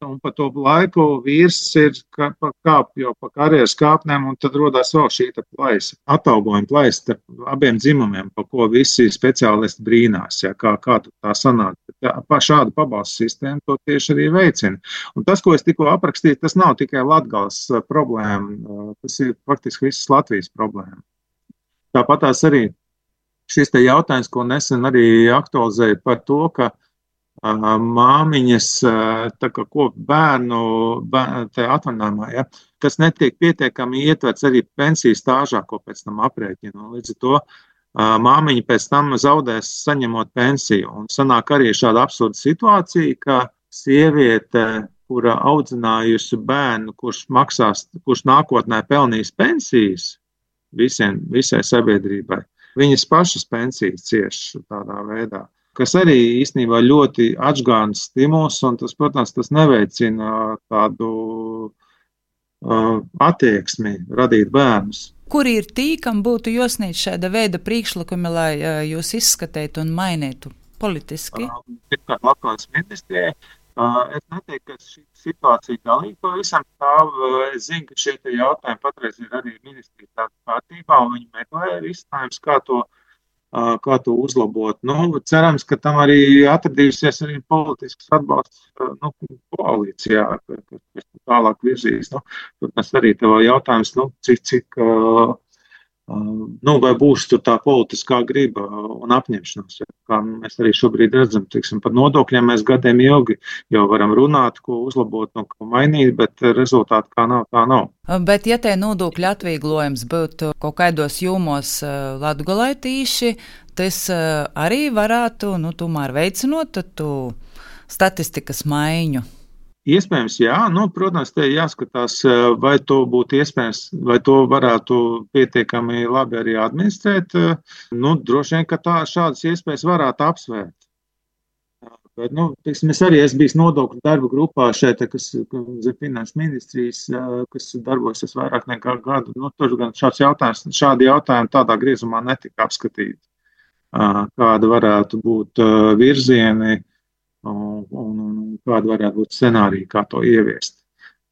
un pa to laiku vīrs ir kāp jau pa karjeras kāpnēm, un tad rodās vēl šī plaisa, atalgojuma plaisa starp abiem dzimumiem, pa ko visi speciālisti brīnās, ja, kā, kā tā sanāk. Pa šādu pabalstu sistēmu to tieši arī veicina. Un tas, ko es tikko aprakstīju, tas nav tikai Latgales problēma, tas ir faktiski visas Latvijas problēma. Tāpat tās arī šis te jautājums, ko nesen arī aktualizēja par to, ka māmiņas, tā kā kop bērnu, bērnu te atvaļinājumā, ja, kas netiek pietiekami ietverts arī pensijas stāžā, ko pēc tam aprēķina. Līdz ar to māmiņa pēc tam zaudēs saņemot pensiju. Un sanāk arī šāda absurda situācija, ka sieviete, kura audzinājusi bērnu, kurš maksās, kurš nākotnē pelnīs pensijas visiem, visai sabiedrībai, viņas pašas pensijas cieš tādā veidā, kas arī īstenībā ļoti atžgāns stimuls, un tas, protams, tas neveicina tādu uh, attieksmi radīt bērnus. Kuri ir tī, kam būtu jāsniedz šāda veida priekšlikumi, lai uh, jūs izskatētu un mainītu politiski? Pirmkārt, uh, Latvijas ministrijai. Uh, es neteiktu, ka šī situācija galīgi pavisam stāv. Es zinu, ka šie jautājumi patreiz ir arī ministrijas kārtībā, un viņi meklē risinājums, kā to kā to uzlabot. Nu, cerams, ka tam arī atradīsies arī politisks atbalsts nu, koalīcijā, kas tālāk virzīs. Nu, tas arī tev jautājums, nu, cik, cik, uh, nu, vai būs tur tā politiskā griba un apņemšanās. Kā mēs arī šobrīd redzam, tiksim, par nodokļiem mēs gadiem ilgi jau varam runāt, ko uzlabot un ko mainīt, bet rezultāti kā nav, tā nav. Bet, ja te nodokļu atvieglojums būtu kaut kādos jūmos Latgolē tīši, tas arī varētu, nu, tomēr veicinot tu statistikas maiņu. Iespējams, jā. Nu, protams, te jāskatās, vai to būtu iespējams, vai to varētu pietiekami labi arī administrēt. Nu, droši vien, ka tā šādas iespējas varētu apsvērt. Bet, nu, teiksim, es arī esmu bijis nodokļu darba grupā šeit, kas zem finanšu ministrijas, kas darbojas vairāk nekā gadu. Nu, tur gan šāds jautājums, šādi jautājumi tādā griezumā netika apskatīti. Kāda varētu būt virzieni un, un, un kāda varētu būt scenārija, kā to ieviest.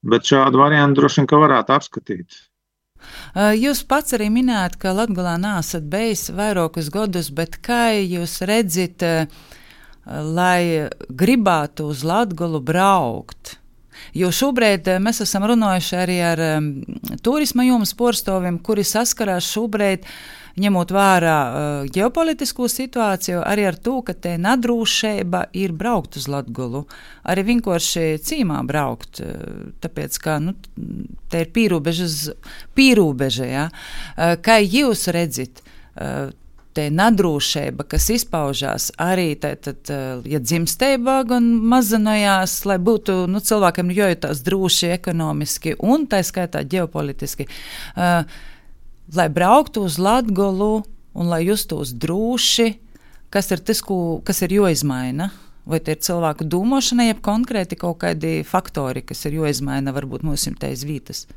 Bet šādu variantu droši vien, ka varētu apskatīt. Jūs pats arī minējāt, ka Latgalā neesat bijis vairākus gadus, bet kā jūs redzat, lai gribētu uz Latgalu braukt? Jo šobrīd mēs esam runājuši arī ar um, turisma jomas porstoviem, kuri saskarās šobrīd ņemot vērā uh, ģeopolitisko situāciju, arī ar to, ka te nadrūšība ir braukt uz Latgolu, arī vienkārši cīmā braukt, uh, tāpēc, ka, nu, te ir pīrūbežas, pīrūbeža, ja? Uh, kā jūs redzat, uh, te nadrūšība, kas izpaužās arī, tad, ja dzimstībā gan mazinājās, lai būtu, nu, cilvēkiem jojūtās droši ekonomiski un tā skaitā ģeopolitiski, uh, lai brauktu uz Latgolu un lai justos droši, kas ir tas, ko, kas ir joizmaina? Vai te ir cilvēku domāšana, jeb konkrēti kaut kādi faktori, kas ir joizmaina, varbūt mums te iz vītas?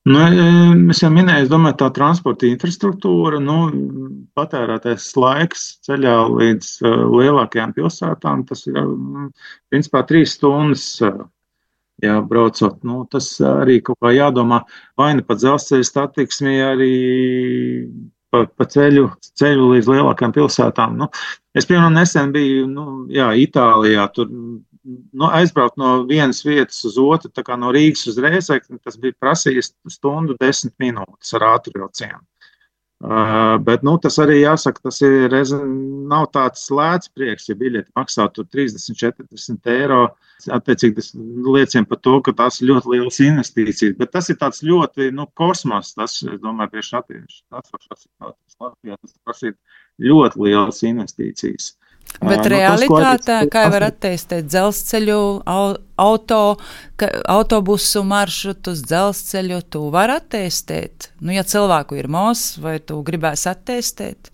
Nu, es jau minēju, es domāju, tā transporta infrastruktūra, nu, patērētais laiks ceļā līdz uh, lielākajām pilsētām, tas ir, uh, principā, trīs stundas, uh, jā, braucot. Nu, tas arī kaut kā jādomā, vai ne pa dzelzceļa satiksmi, arī pa, pa ceļu, ceļu līdz lielākajām pilsētām. Nu, es, piemēram, nesen biju, nu, jā, Itālijā, tur, nu, aizbraukt no vienas vietas uz otru, tā kā no Rīgas uz Rēzekni, tas bija prasījis stundu desmit minūtes ar ātrvilcienu. Uh, bet, nu, tas arī jāsaka, tas ir, nav tāds lēts prieks, ja biļeti maksā tur trīsdesmit četrdesmit eiro. Attiecīgi tas liecina par to, ka tās ir ļoti lielas investīcijas, bet tas ir tāds ļoti, nu, kosmos, tas, es domāju, priekš attīstības Latvijā, tas prasīt ļoti lielas investīcijas. Bet realitātē, kā var attīstīt dzelzceļu, auto, ka, autobusu maršrutus, dzelzceļu, tu var attīstīt? Nu, ja cilvēku ir mos, vai tu gribēsi attīstīt?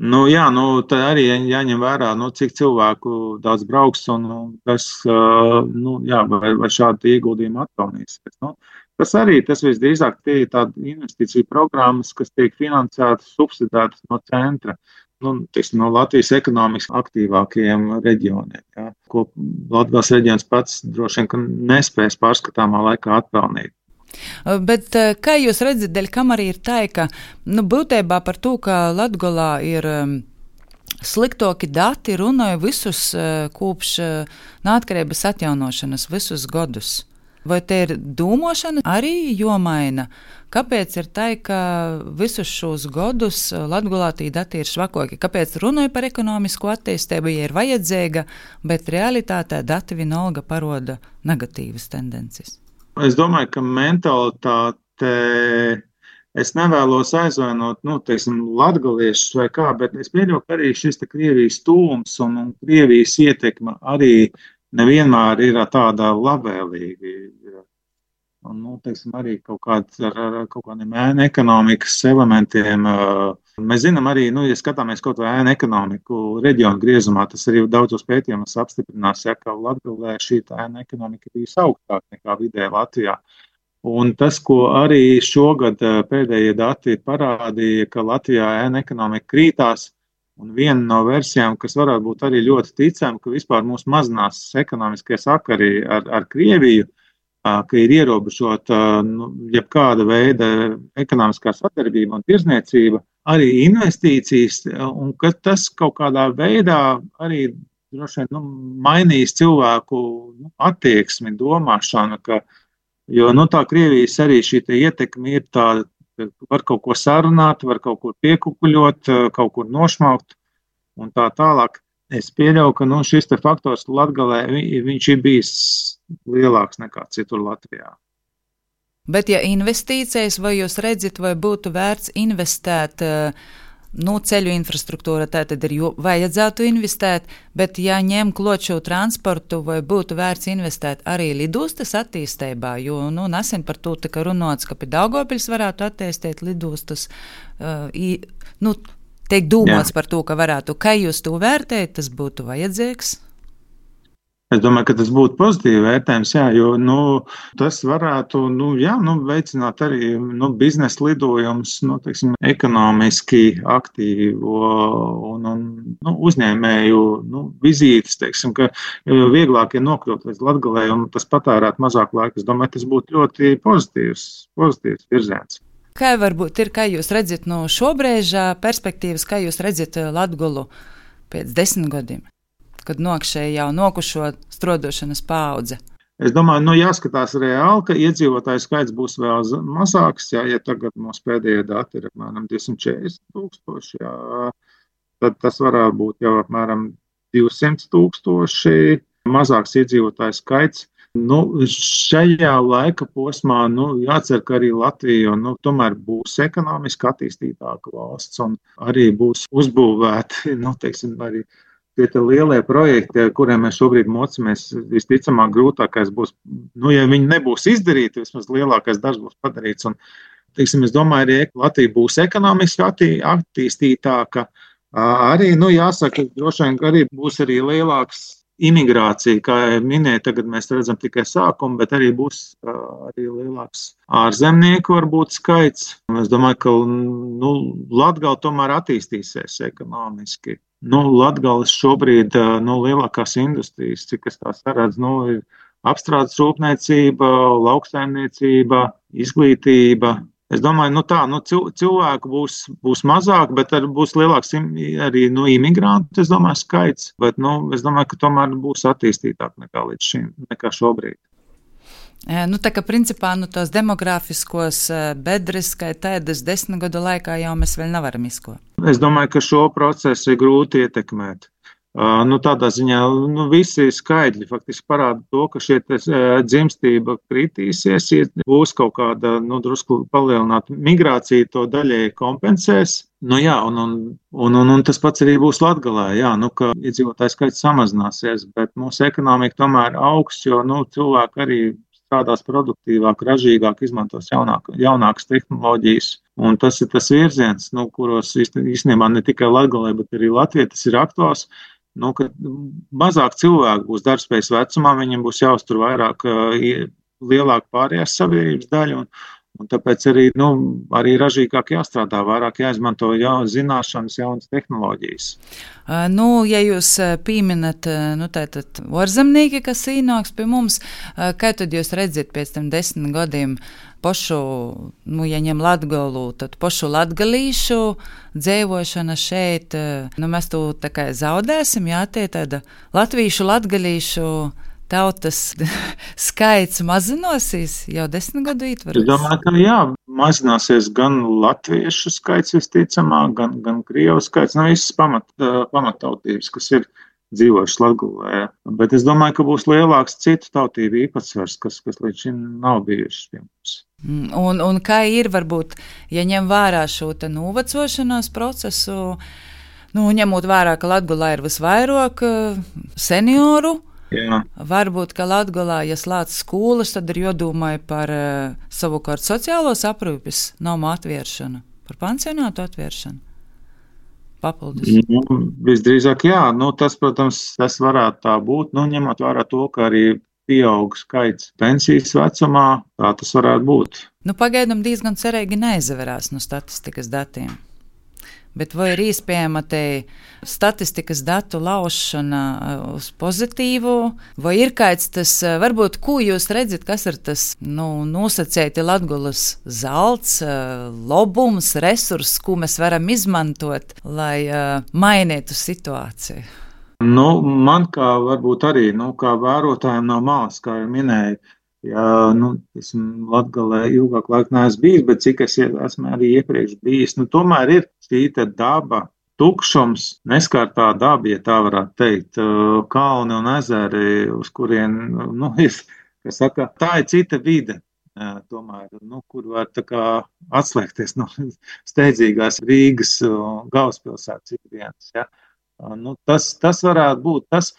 Nu, jā, nu, tā arī jāņem vērā, nu, cik cilvēku daudz brauks un, kas, nu, jā, vai, vai šādi ieguldījumi atpelnīsies. Nu, tas arī, tas visdrīzāk tie ir tādi investīciju programmas, kas tiek finansētas, subsidētas no centra. Nu, tiksim, no Latvijas ekonomiski aktīvākajiem reģioniem, ja, ko Latgales reģions pats droši vien, ka nespēs pārskatāmā laikā atpelnīt. Bet kā jūs redzat, dēļ kam arī ir tā, ka, nu, būtībā par to, ka Latgolā ir um, sliktoki dati, runāja visus uh, kopš uh, neatkarības atjaunošanas, visus godus. Vai te ir domāšana arī jomaina? Kāpēc ir tā, ka visus šos godus Latgolā tī dati ir švakoki? Kāpēc runāja par ekonomisko attīstību, ja ir vajadzīga, bet realitātē dati vienalga paroda negatīvas tendences? Es domāju, ka mentalitāte, es nevēlos aizvainot, nu, teiksim, latgaliešus vai kā, bet es pieļauju, ka arī šis te Krievijas tūms un, un Krievijas ietekme arī nevienmēr ir tāda labvēlīga. Un, nu, teiksim, arī kaut kāds ar, ar kaut kādiem ēnu ekonomikas elementiem. Mēs zinām arī, nu, ja skatāmies kaut vai ēnu ekonomiku reģionu griezumā, tas arī daudzos pētījumos apstiprinās, ja, ka Latgalē šī ēnu ekonomika bija augstāka nekā vidēji Latvijā. Un tas, ko arī šogad pēdējie dati parādīja, ka Latvijā ēnu ekonomika krītās, un viena no versijām, kas varētu būt arī ļoti ticama, ka vispār mūs mazinās ekonomiskie sakari ar, ar Krieviju, ka ir ierobežota, nu, jebkāda veida ekonomiskā sadarbība un tirzniecība, arī investīcijas, un ka tas kaut kādā veidā arī droši vien, nu, mainīs cilvēku, nu, attieksmi, domāšanu, ka, jo, nu, tā Krievijas arī šī ietekme ir tāda, var kaut ko sarunāt, var kaut ko piekukuļot, kaut kur nošmaukt un tā tālāk. Es pieļauju, ka, nu, šis te faktors Latgalē, viņš ir bijis lielāks nekā citur Latvijā. Bet ja investīcijas, vai jūs redzat, vai būtu vērts investēt, nu, ceļu infrastruktūra, tā tad ir vajadzētu investēt, bet ja ņem klot šo transportu, vai būtu vērts investēt arī lidostas attīstībā, jo, nu, nesen par to tika runāts, ka pie Daugavpils varētu attīstīt lidostas, uh, i, nu, tiek domāts par to, ka varētu, kā jūs to vērtējat, tas būtu vajadzīgs? Es domāju, ka tas būtu pozitīvi vērtējums, jā, jo, nu, tas varētu, nu, jā, nu, veicināt arī, nu, biznesa lidojumus, nu, teiksim, ekonomiski aktīvo un, un nu, uzņēmēju, nu, vizītes, teiksim, ka vieglāk ir nokļūt līdz Latgalei un tas patērēt mazāk laika. Es domāju, tas būtu ļoti pozitīvs, pozitīvs virziens. Kā varbūt ir, kā jūs redzat no šobrīža perspektīvas, kā jūs redzat Latgolu pēc desmit gadiem? Kad nokšēja jau nokušo strodošanas paudze? Es domāju, nu jāskatās reāli, ka iedzīvotāju skaits būs vēl mazāks, jā, ja tagad mūsu pēdējie dati ir apmēram divsimt četrdesmit tūkstoši, jā, tad tas varētu būt jau apmēram divsimt tūkstoši mazāks iedzīvotāju skaits. Nu, šajā laika posmā, nu, jācer, ka arī Latvija, nu, tomēr būs ekonomiski attīstītāka valsts un arī būs uzbūvēti, nu, teiksim, arī tie te lielie projekti, kuriem mēs šobrīd mocamies, visticamāk grūtākais būs, nu, ja viņi nebūs izdarīti, vismaz lielākais darbs būs padarīts. Un, teiksim, es domāju, arī Latvija būs ekonomiski attī, attīstītāka. Arī, nu, jāsaka, droši vien arī būs arī lielāks imigrācija, kā minēja, tagad mēs redzam tikai sākumu, bet arī būs arī lielāks ārzemnieku varbūt skaits. Es domāju, ka, nu, Latgala tomēr attīstīsies ekonomiski. Nu, Latgales šobrīd, nu, lielākās industrijas, cik es tās redzu, nu, ir apstrādes rūpniecība, lauksaimniecība, izglītība. Es domāju, nu tā, nu cilvēku būs, būs mazāk, bet arī būs lielāks arī, nu, imigrantu, es domāju, skaits. Bet, nu, es domāju, ka tomēr būs attīstītāk nekā līdz šim, nekā šobrīd. Nu, tā kā principā, nu, tos demografiskos bedres, kā tādas desmit gadu laikā jau mēs vēl nevaram izko. Es domāju, ka šo procesu ir grūti ietekmēt. Uh, nu, tādā ziņā, nu, visi skaidri faktiski parāda to, ka šie dzimstība kritīsies, būs kaut kāda, nu, drusku palielināta migrācija, to daļēji kompensēs. Nu, jā, un, un, un, un, un tas pats arī būs Latgalē, jā, nu, ka iedzīvotāju skaits samazināsies, bet mūsu ekonomika tomēr augs, jo, nu, cilvēki arī strādās produktīvāk, ražīgāk, izmantos jaunāk, jaunākas tehnoloģijas. Un tas ir tas virziens, nu, kuros īstenībā ne tikai Latgalē, bet arī Latvijā tas ir aktuāls. Nu, ka mazāk cilvēku būs darbspējas vecumā, viņiem būs jāuztur vairāk, lielāka pārējās sabiedrības daļa, un, un tāpēc arī, nu, arī ražīgāk jāstrādā, vairāk jāizmanto jaunas zināšanas, jaunas tehnoloģijas. Uh, nu, ja jūs pieminat, nu, tātad ārzemnieki, kas ienāks pie mums, uh, kā tad jūs redzat pēc tam desmit gadiem pošu, nu, ja ņem Latgalu, tad pošu latgalīšu dzēvošana šeit, nu, mēs tu tā kā zaudēsim, jā, tie tāda latvīšu, latgalīšu tautas skaits mazinosies jau desmit gadu ietvaros. Es domāju, ka jā, mazināsies gan latviešu skaits visticamāk, gan, gan krievu skaits, nu, visas pamat, pamattautības, kas ir dzīvojuši Latgalē. Bet es domāju, ka būs lielāks citu tautību īpatsvars, kas, kas līdz šim nav bijušas pie mums. Un, un kā ir, varbūt, ja ņem vērā šo te novecošanās procesu, nu, ņemot vērā, ka Latgalā ir visvairāk senioru, jā. Varbūt, ka Latgalā, ja slēdz skolas, tad ir jodomāja par savukārt sociālos aprūpes nomu atvēršanu, par pansionātu atvēršanu. Papildus. Nu, visdrīzāk jā, nu, tas, protams, tas varētu tā būt, nu, ņemot vērā to, ka arī pieaug skaits pensijas vecumā, tā tas varētu būt. Nu, pagaidām diezgan cerīgi neizverās no statistikas datiem. Bet vai ir iespējama te statistikas datu laušana uz pozitīvu, vai ir kāds tas, varbūt, ko jūs redzat, kas ir tas, nu, nosacēti Latgulas zelts, lobums, resurss, ko mēs varam izmantot, lai uh, mainītu situāciju? Nu, man kā varbūt arī, nu, kā vērotājiem no malas, kā jau minēju, ja, nu, esmu Latgalē ilgāk laiku neesmu bijis, bet cik es esmu arī iepriekš bijis, nu, tomēr ir šī te daba, tukšums, neskārtā daba, ja tā varētu teikt, kalni un ezeri, uz kurien, nu, ir, kas saka, tā ir cita vide, tomēr, nu, kur var tā kā atslēgties no steidzīgās Rīgas galvaspilsētas ikdienas, ja. Nu, tas, tas varētu būt tas,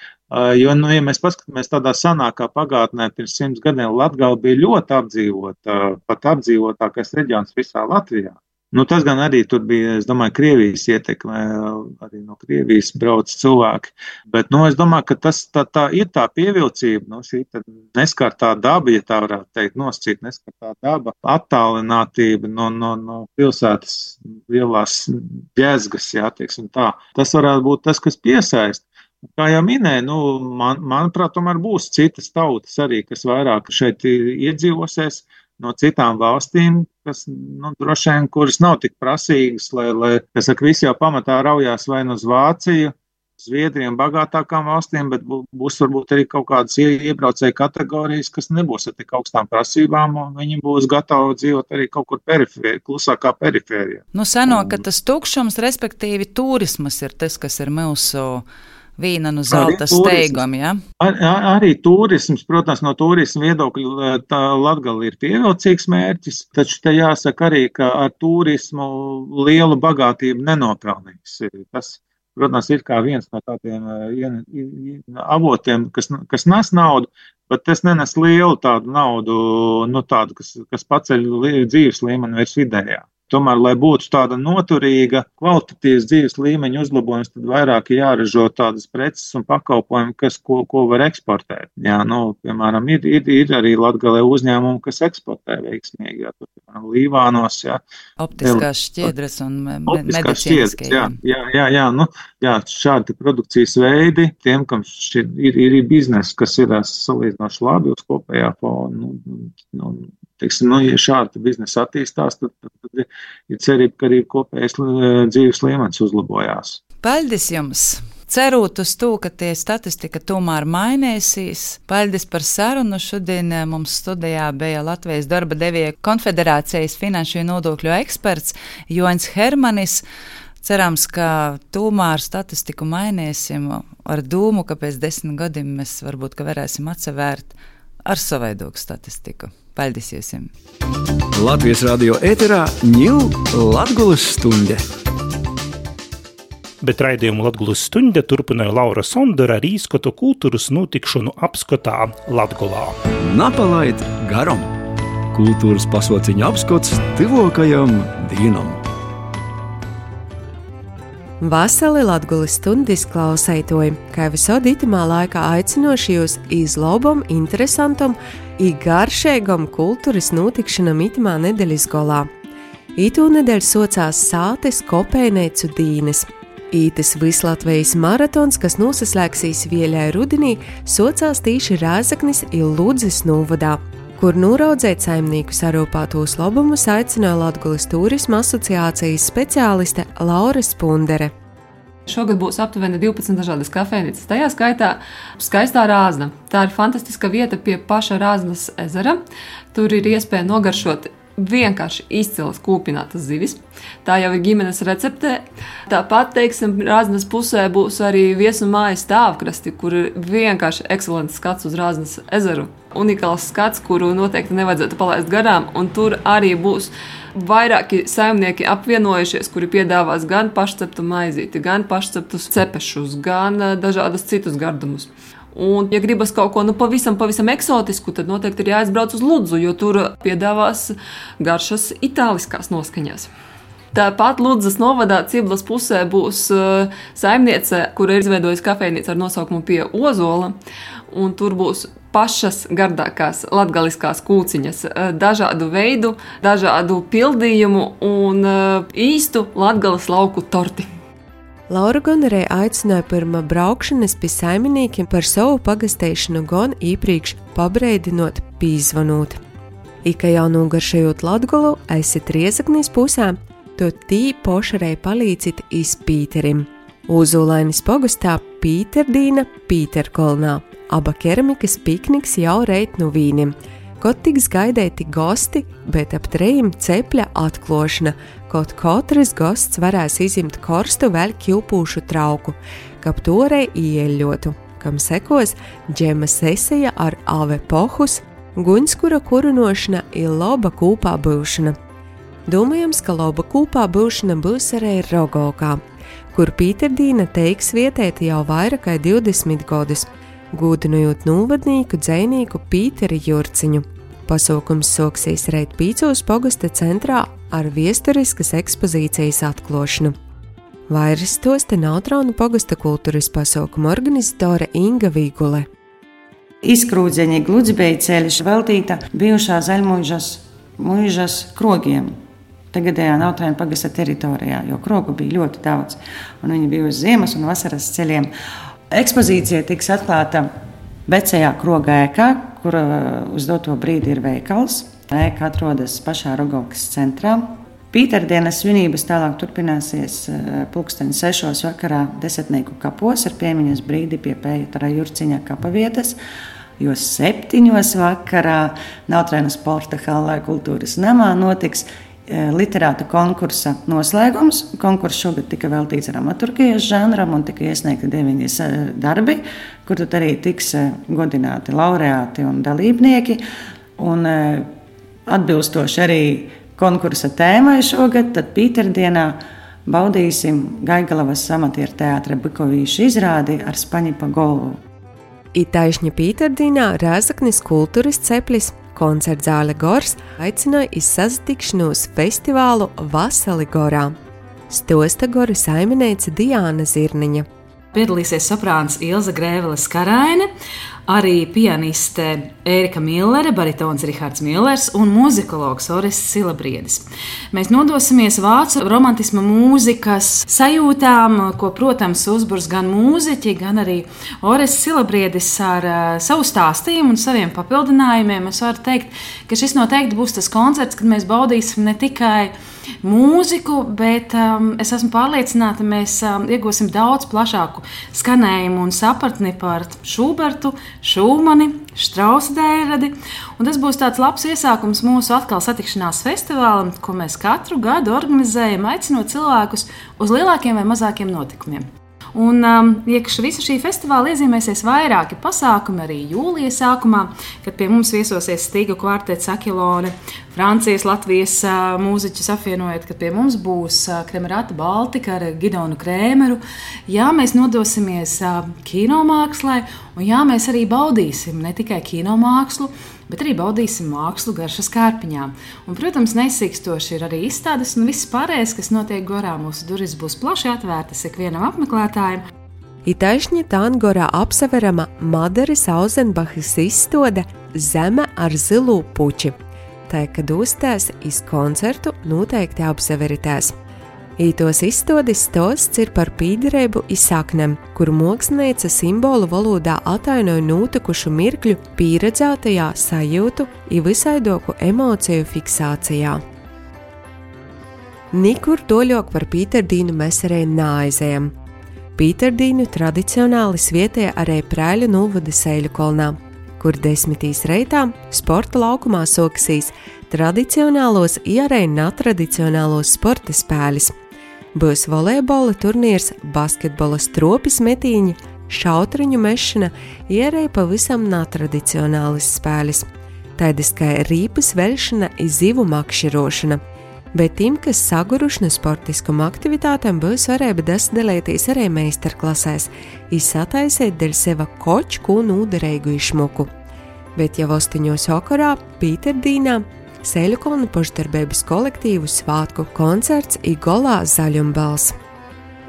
jo, nu, ja mēs paskatāmies tādā sanākā pagātnē, pirms simts gadiem Latgala bija ļoti apdzīvota, pat apdzīvotākais reģions visā Latvijā. Nu, tas gan arī tur bija, es domāju, Krievijas ietekmē, arī no Krievijas brauc cilvēki, bet, nu, es domāju, ka tas tā, tā ir tā pievilcība, nu, šī neskartā daba, ja tā varētu teikt, noscīt neskartā daba, attālinātība no, no, no pilsētas lielās ģezgas, jā, teiksim tā. Tas varētu būt tas, kas piesaist. Kā jau minēju, nu, man, manuprāt, tomēr būs citas tautas arī, kas vairāk šeit iedzīvosies, no citām valstīm, kas, nu, droši vien, kuras nav tik prasīgas, lai, lai, kas saka, visi jau pamatā raujās vai nu uz Vāciju, Zviedriju un bagātākām valstīm, bet būs varbūt arī kaut kādas iebraucēju kategorijas, kas nebūs ar tik augstām prasībām, un viņi būs gatavi dzīvot arī kaut kur perifēri, klusākā perifērijā. Nu, seno, ka tas tukšums, respektīvi turismas ir tas, kas ir mūsu vīna nu zelta steigam, ja? Ar, ar, arī turisms, protams, no turisma viedokļa tā Latgale ir pievilcīgs mērķis, taču te jāsaka arī, ka ar turismu lielu bagātību nenopelnīs. Tas, protams, ir kā viens no tādiem avotiem, kas, kas nes naudu, bet tas nenes lielu tādu naudu, nu tādu, kas, kas paceļ dzīves līmeni virs vidējā. Tomēr, lai būtu tāda noturīga, kvalitatīvas dzīves līmeņa uzlabojums, tad vairāk jāražo tādas preces un pakalpojumi, kas, ko, ko var eksportēt. Jā, nu, piemēram, ir, ir, ir arī Latgalē uzņēmumi, kas eksportē veiksmīgi, jā, tur, piemēram, Līvānos, jā. Optiskās šķiedras un medicīniskie. Jā, jā, jā, jā, nu, jā, šādi produkcijas veidi, tiem, kam šī ir, ir, ir biznesa, kas ir salīdzinoši labi uz kopējā fona, nu, nu, teiksim, nu, ja šādi biznesa attīstās, tad, tad, tad ir cerība, ka arī kopējais dzīves līmenis uzlabojās. Paldies jums! Cerot uz to, ka tie statistika tomēr mainīsīs. Paldies par sarunu. Šodien mums studijā bija Latvijas darba devēju konfederācijas finanšu nodokļu eksperts Joņs Hermanis. Cerams, ka tomēr statistiku mainīsim ar dūmu, ka pēc desmit gadiem mēs varbūt ka varēsim atsevērt ar savaidogu statistiku. Paldies jums! Latvijas radio ēterā ņū Latgulas stunde. Bet raidījumu Latgulas stunde turpināja Laura Sondora ar īskotu kultūras notikšanu apskotā Latgolā. Napalaid garam! Kultūras pasauciņa apskots tuvākajam dienam. Vasali Latgulas stundas klausētoji, kā visod itamā laikā aicinoši jūs iz lobam, interesantam i garšēgam kultūras notikšanam itamā nedēļas golā. Itū nedēļ socās Sātes Kopējneicu dīnes. Ītis Vislatvijas maratons, kas nosaslēgsīs Vieļai rudenī, socās tīši Rēzaknis i Ludzes novadā, kur nūraudzēt saimnieku sarūpātos lobumus aicināja Latgulas turisma asociācijas speciāliste Laura Spundere. Šogad būs aptuveni divpadsmit dažādas kafejnīcas, tajā skaitā skaistā Rāzna. Tā ir fantastiska vieta pie paša Rāznas ezera. Tur ir iespēja nogaršot vienkārši izcilas kūpinātas zivis. Tā jau ir ģimenes receptē. Tāpat, teiksim, Rāznas pusē būs arī viesu mājas stāvkrasti, kur ir vienkārši ekscelents skats uz Rāznas ezeru. Unikāls skats, kuru noteikti nevajadzētu palaist garām, un tur arī būs vairāki saimnieki apvienojušies, kuri piedāvās gan pašceptu maizīti, gan pašceptus cepešus, gan dažādus citus gardumus. Un, ja gribas kaut ko nu, pavisam, pavisam eksotisku, tad noteikti ir jāizbrauc uz Ludzu, jo tur piedāvās garšas itāliskās noskaņās. Tāpat Ludzas novadā Ciblas pusē būs uh, saimniece, kura ir izveidojusi kafejnīcu ar nosaukumu Pie Ozola, un tur būs pašas gardākās latgaliskās kūciņas, uh, dažādu veidu, dažādu pildījumu un uh, īstu Latgales lauku torti. Laura Gonerē aicināja pirmā braukšanas pie saimniekiem par savu pagastēšanu gan īpriekš pabreidinot pīzvanūt. Ika jau nogaršējot Latgolu, esat Riezaknis pusē, to tī pošarei palīdzit iz Pīterim. Uzulainis pogastā Pīterdīna Pīterkolnā, aba keramikas pikniks jau reit no vīnim. Kaut tiks gaidēti gosti, bet ap trejiem cepļa atklošana, kaut katrs gosts varēs izimt korstu vēl ķilpūšu trauku, kap torei ieļotu, kam sekos džema sesija ar ave pohus, guņskura kurunošana ir loba kūpā būšana. Domājams, ka loba kūpā būšana būs arī Rogokā, kur Pīterdīna teiks vietēti jau vairāk kā divdesmit gadus, gūdinojot novadnīku dzejnieku Pīteri Jurciņu. Pasaukums soksīs reit Pīcūs pogasta centrā ar viesturiskas ekspozīcijas atklošanu. Vairs tos te Nautraunu pogasta kultūras pasaukuma organizatore Inga Vīgule. Izkrūdzeņi Gludzbeja ceļš veltīta bijušā Zaļmuižas muižas krogiem. Tagadējā Nautraunu pagasta teritorijā, jo krogu bija ļoti daudz, un viņi bija uz ziemas un vasaras ceļiem. Ekspozīcija tiks atklāta Vecajā kroga ēkā, kur uz doto brīdi ir veikals. Ēka atrodas pašā Rogovkas centrā. Pīterdienas svinības tālāk turpināsies pulksteni sešos vakarā Desmitnieku kapos ar piemiņas brīdi pie Pētera Jurciņa kapavietas, jo septiņos vakarā Nautrēnas sporta hallē kultūras namā notiks literāta konkursa noslēgums. Konkurss šogad tika veltīts dramaturgijas žanram un tika iesniegti deviņas darbi, kur tad arī tiks godināti laureāti un dalībnieki. Un atbilstoši arī konkursa tēmai šogad, tad Pīterdienā baudīsim Gaigalavas amatieru teātra Bikovīša izrādi ar Spaņipa Golvu. Itaišņa Pīterdienā Rēzaknis kultūras ceplis koncertzāle Gors aicināja iz sasatikšanos festivālu Vasali Gorā. Stosta Gora saimniece Diāna Zirniņa. Piedalīsies soprāns Ilza Grēveles-Karaine, arī pianiste Ērika Millere, baritons Rihards Millers un muzikologs Orests Silabriedis. Mēs nodosimies vācu romantisma mūzikas sajūtām, ko, protams, uzburs gan mūziķi, gan arī Orests Silabriedis ar uh, savu stāstījumu un saviem papildinājumiem. Es varu teikt, ka šis noteikti būs tas koncerts, kad mēs baudīsim ne tikai mūziku, bet um, es esmu pārliecināta, mēs um, iegūsim daudz plašāku skanējumu un sapratni par Šubertu, Šūmani, Štrausa dēļradi. Un tas būs tāds labs iesākums mūsu atkal satikšanās festivālam, ko mēs katru gadu organizējam, aicinot cilvēkus uz lielākiem vai mazākiem notikumiem. Un um, iekš visu šī festivāla iezīmēsies vairāki pasākumi arī jūlija sākumā, kad pie mums viesosies Stīgu kvartets Akilone, Francijas, Latvijas uh, mūziķus apvienojot, kad pie mums būs uh, Kremerata Baltika ar Gidonu Krēmeru. Jā, mēs nodosimies uh, kinomākslai, un jā, mēs arī baudīsim ne tikai kinomākslu, bet arī baudīsim mākslu garšas kārpiņām. Un, protams, neizsīkstoši ir arī izstādes un viss pārējais, kas notiek Gorā. Mūsu durvis būs plaši atvērtas ikvienam apmeklētājam. Itaišņa Tāngorā apseverama Madaris Auzenbachas izstāde Zeme ar zilu puči. Tā, kad uzstās iz koncertu, noteikti apseveritās. Ītos izstādes stosts ir par pīderību iz saknem, kuru mākslinieca simbolu valodā atainoja notikušu mirkļu pieredzētajā sajūtu i visaidoku emociju fiksācijā. Nikur toļok par Pīterdīnu mēs arī nāizējam. Pīterdīnu tradicionāli svietē arī Prēļu novada Seiļukolnā, kur desmitīs reitā sporta laukumā sokasīs tradicionālos i arī netradicionālos sporta spēles. Būs volejbola turnīrs, basketbola stropis metīņi, šautriņu mešana, ierēja pavisam netradicionālis spēles. Tādas kā rīpas veļšana i zivu makširošana. Bet tiem, kas saguruši no sportiskuma aktivitātēm, būs varēja dasdalēties arī meistarklasēs i sataisēt deļ seva kočku un ūderēgu išmuku. Bet jau ostiņos vakarā Pīterdīnā Seiļukolna pošdarbības kolektīvu svātku koncerts i golā Zaļumbals.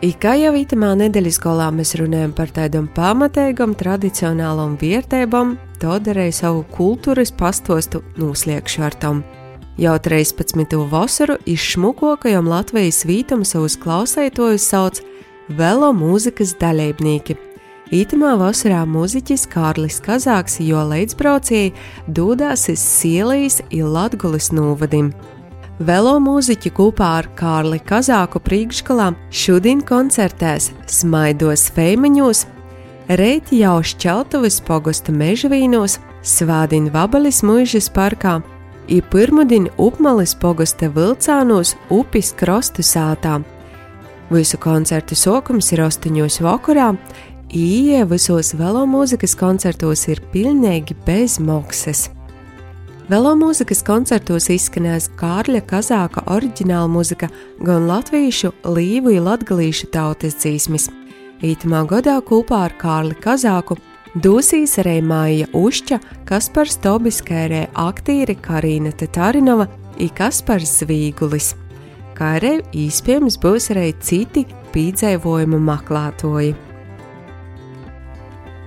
I kā jau itamā nedēļas golā mēs runājam par tādam pamatīgam tradicionālam vērtībām, to darēja savu kultūras pastostu nūsliekšu ar tom. Jau trīspadsmito vasaru iz šmukokajam Latvijas vītam savus klausētojus sauc velo mūzikas daļeibnieki. Ītamā vasarā mūziķis Kārlis Kazāks jo līdzbraucēji dodās iz Sielijas i Latgulis novadim. Velo mūziķi kopā ar Kārli Kazāku priekšgalā šodien koncertēs Smaidos Feimeņos, reit jau Šķeltuvis pogosta Mežvīnos, svādien Vabalis muižas parkā i pirmudien Upmalis pogosta Vilcānos upis krostu sātā. Visu koncertu sokums ir ostoņos vakarā, Ieja visos velomūzikas koncertos ir pilnīgi bez maksas. Velomūzikas koncertos izskanēs Kārļa Kazāka oriģināla muzika, gan latviešu, līvu i latgalīšu tautas dzīsmis. Ītamā gadā kopā ar Kārli Kazāku dosīs arī Maija Ušķa, Kaspars Tobiskērē aktīri Karīna Tatarinova i Kaspars Zvīgulis. Kā arī īspējams būs arī citi pīdzēvojumu maklātoji.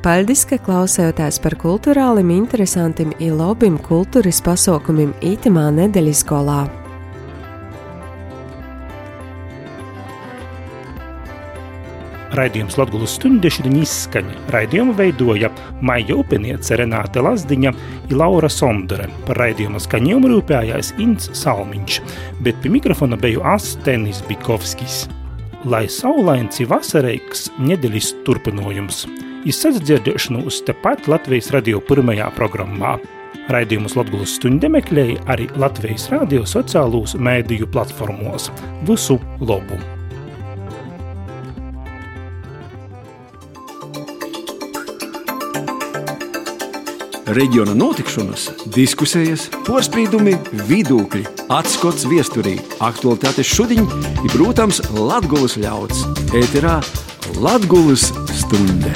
Paldies, ka klausējotās par kulturālim interesantim i lobim kultūras pasaukumim ītamā nedēļas golā. Raidījums Latgulas stunde šodien izskaņa. Raidījumu veidoja Maija Upeniece, Renāte Lazdiņa un Laura Sondere. Par raidījuma skaņojumu rūpējās Ints Salmiņš, bet pie mikrofona beju es Tenis Bikovskis. Lai saulains i vasareiks nedeļas turpinojums. Iz sadzirdēšanos tepat Latvijas radio pirmajā programmā. Raidījumus Latgulas stunde meklēja arī Latvijas radio sociālūs mēdīju platformos. Visu labu! Reģiona notikšanas, diskusijas, porspīdumi, vidūkļi, atskots viesturī, aktualitātes šodiņ i, protams, Latgulas ļauds. Ēterā Latgulas stunde.